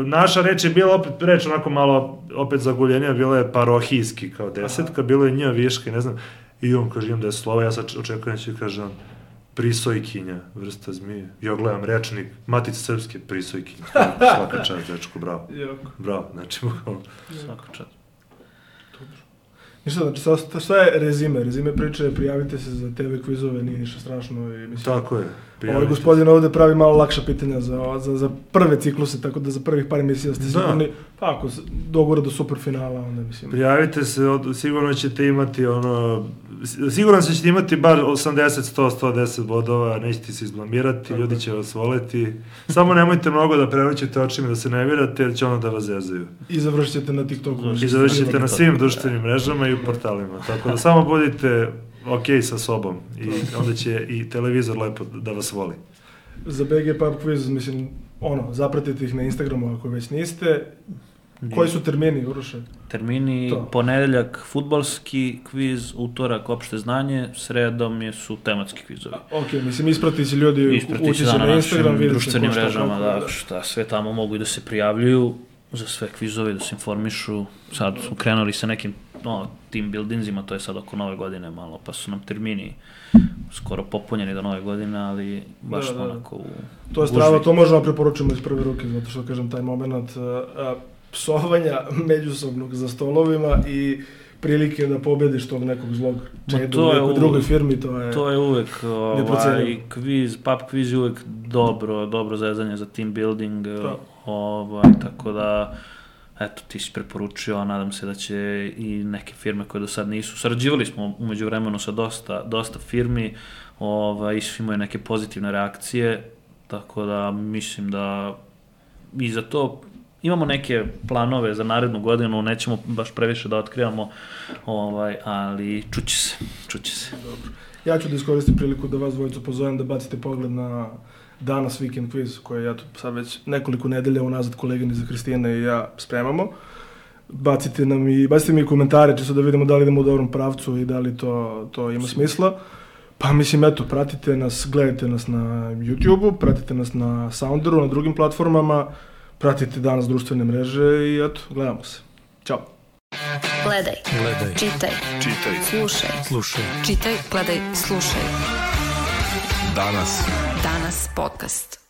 Speaker 4: naša reč je bila opet reč onako malo opet zaguljenija, bila je parohijski kao desetka, bilo je nja viška i ne znam, i on kaže imam deset slova, ja sad očekujem će kaže on prisojkinja, vrsta zmije. Ja gledam rečnik, Matice srpske, prisojkinja. Svaka čast, dečko, bravo. Bravo, znači, bukvalno.
Speaker 5: Svaka čast.
Speaker 1: Ništa, znači, šta je rezime? Rezime priče je prijavite se za te ve kvizove, nije ništa strašno. I, mislim,
Speaker 4: tako je.
Speaker 1: Ovaj gospodin ovde pravi malo lakša pitanja za, za, za prve cikluse, tako da za prvih par emisija ste sigurni, pa ako dogura do superfinala, onda mislim.
Speaker 4: Prijavite se, od, sigurno ćete imati ono, sigurno ćete imati bar osamdeset, sto, sto deset bodova, nećete se izblamirati, tako. Ljudi će vas voleti. Samo nemojte mnogo da prevrćete očima, da se nervirate, jer će ono da vas zezaju.
Speaker 1: I završit ćete na TikToku.
Speaker 4: I završit ćete na svim društvenim mrežama i u portalima, tako da samo budite ok sa sobom i onda će i televizor lepo da vas voli.
Speaker 1: Za be ge Pub Quiz, mislim, ono, zapratite ih na Instagramu ako već niste. Koji su termini, Uroše?
Speaker 5: Termini, to. Ponedeljak fudbalski kviz, utorak opšte znanje, sredom je su tematski kvizovi.
Speaker 1: Ok, mislim, isprati će ljudi, ući će na Instagram, vidjeti
Speaker 5: društvenim mrežama, da, da, šta, sve tamo mogu i da se prijavljuju za sve kvizove, da se informišu. Sad su krenuli sa nekim no, team buildingsima, to je sad oko nove godine malo, pa su nam termini skoro popunjeni do nove godine, ali baš da, da, onako u
Speaker 1: to je strava, to možemo preporučiti iz prve ruke, zato što kažem taj moment a, psovanja međusobnog za stolovima i prilike da pobediš tog nekog zlog čedu u nekoj drugoj firmi, to je
Speaker 5: to je uvek ovaj kviz, pub kviz je uvek dobro, dobro zezanje za team building, to. Ovaj, tako da eto, ti si preporučio, a nadam se da će i neke firme koje do sad nisu. Sarađivali smo umeđu vremenu sa dosta, dosta firmi, ovaj, imaju neke pozitivne reakcije, tako da mislim da i za to imamo neke planove za narednu godinu, nećemo baš previše da otkrivamo, ovaj, ali čuće se, čuće se.
Speaker 1: Dobro. Ja ću da iskoristim priliku da vas dvojicu pozovem da bacite pogled na danas Weekend Quiz, koje ja tu sad već nekoliko nedelja unazad koleginica Kristina i ja spremamo. Bacite nam i, bacite mi komentare, čisto da vidimo da li idemo u dobrom pravcu i da li to, to ima smisla. Pa mislim, eto, pratite nas, gledajte nas na YouTubeu, pratite nas na Sounderu, na drugim platformama, pratite danas društvene mreže i eto, gledamo se. Ćao!
Speaker 2: Gledaj, gledaj, čitaj, čitaj, slušaj, slušaj, čitaj, gledaj, slušaj. Danas. Danas podcast.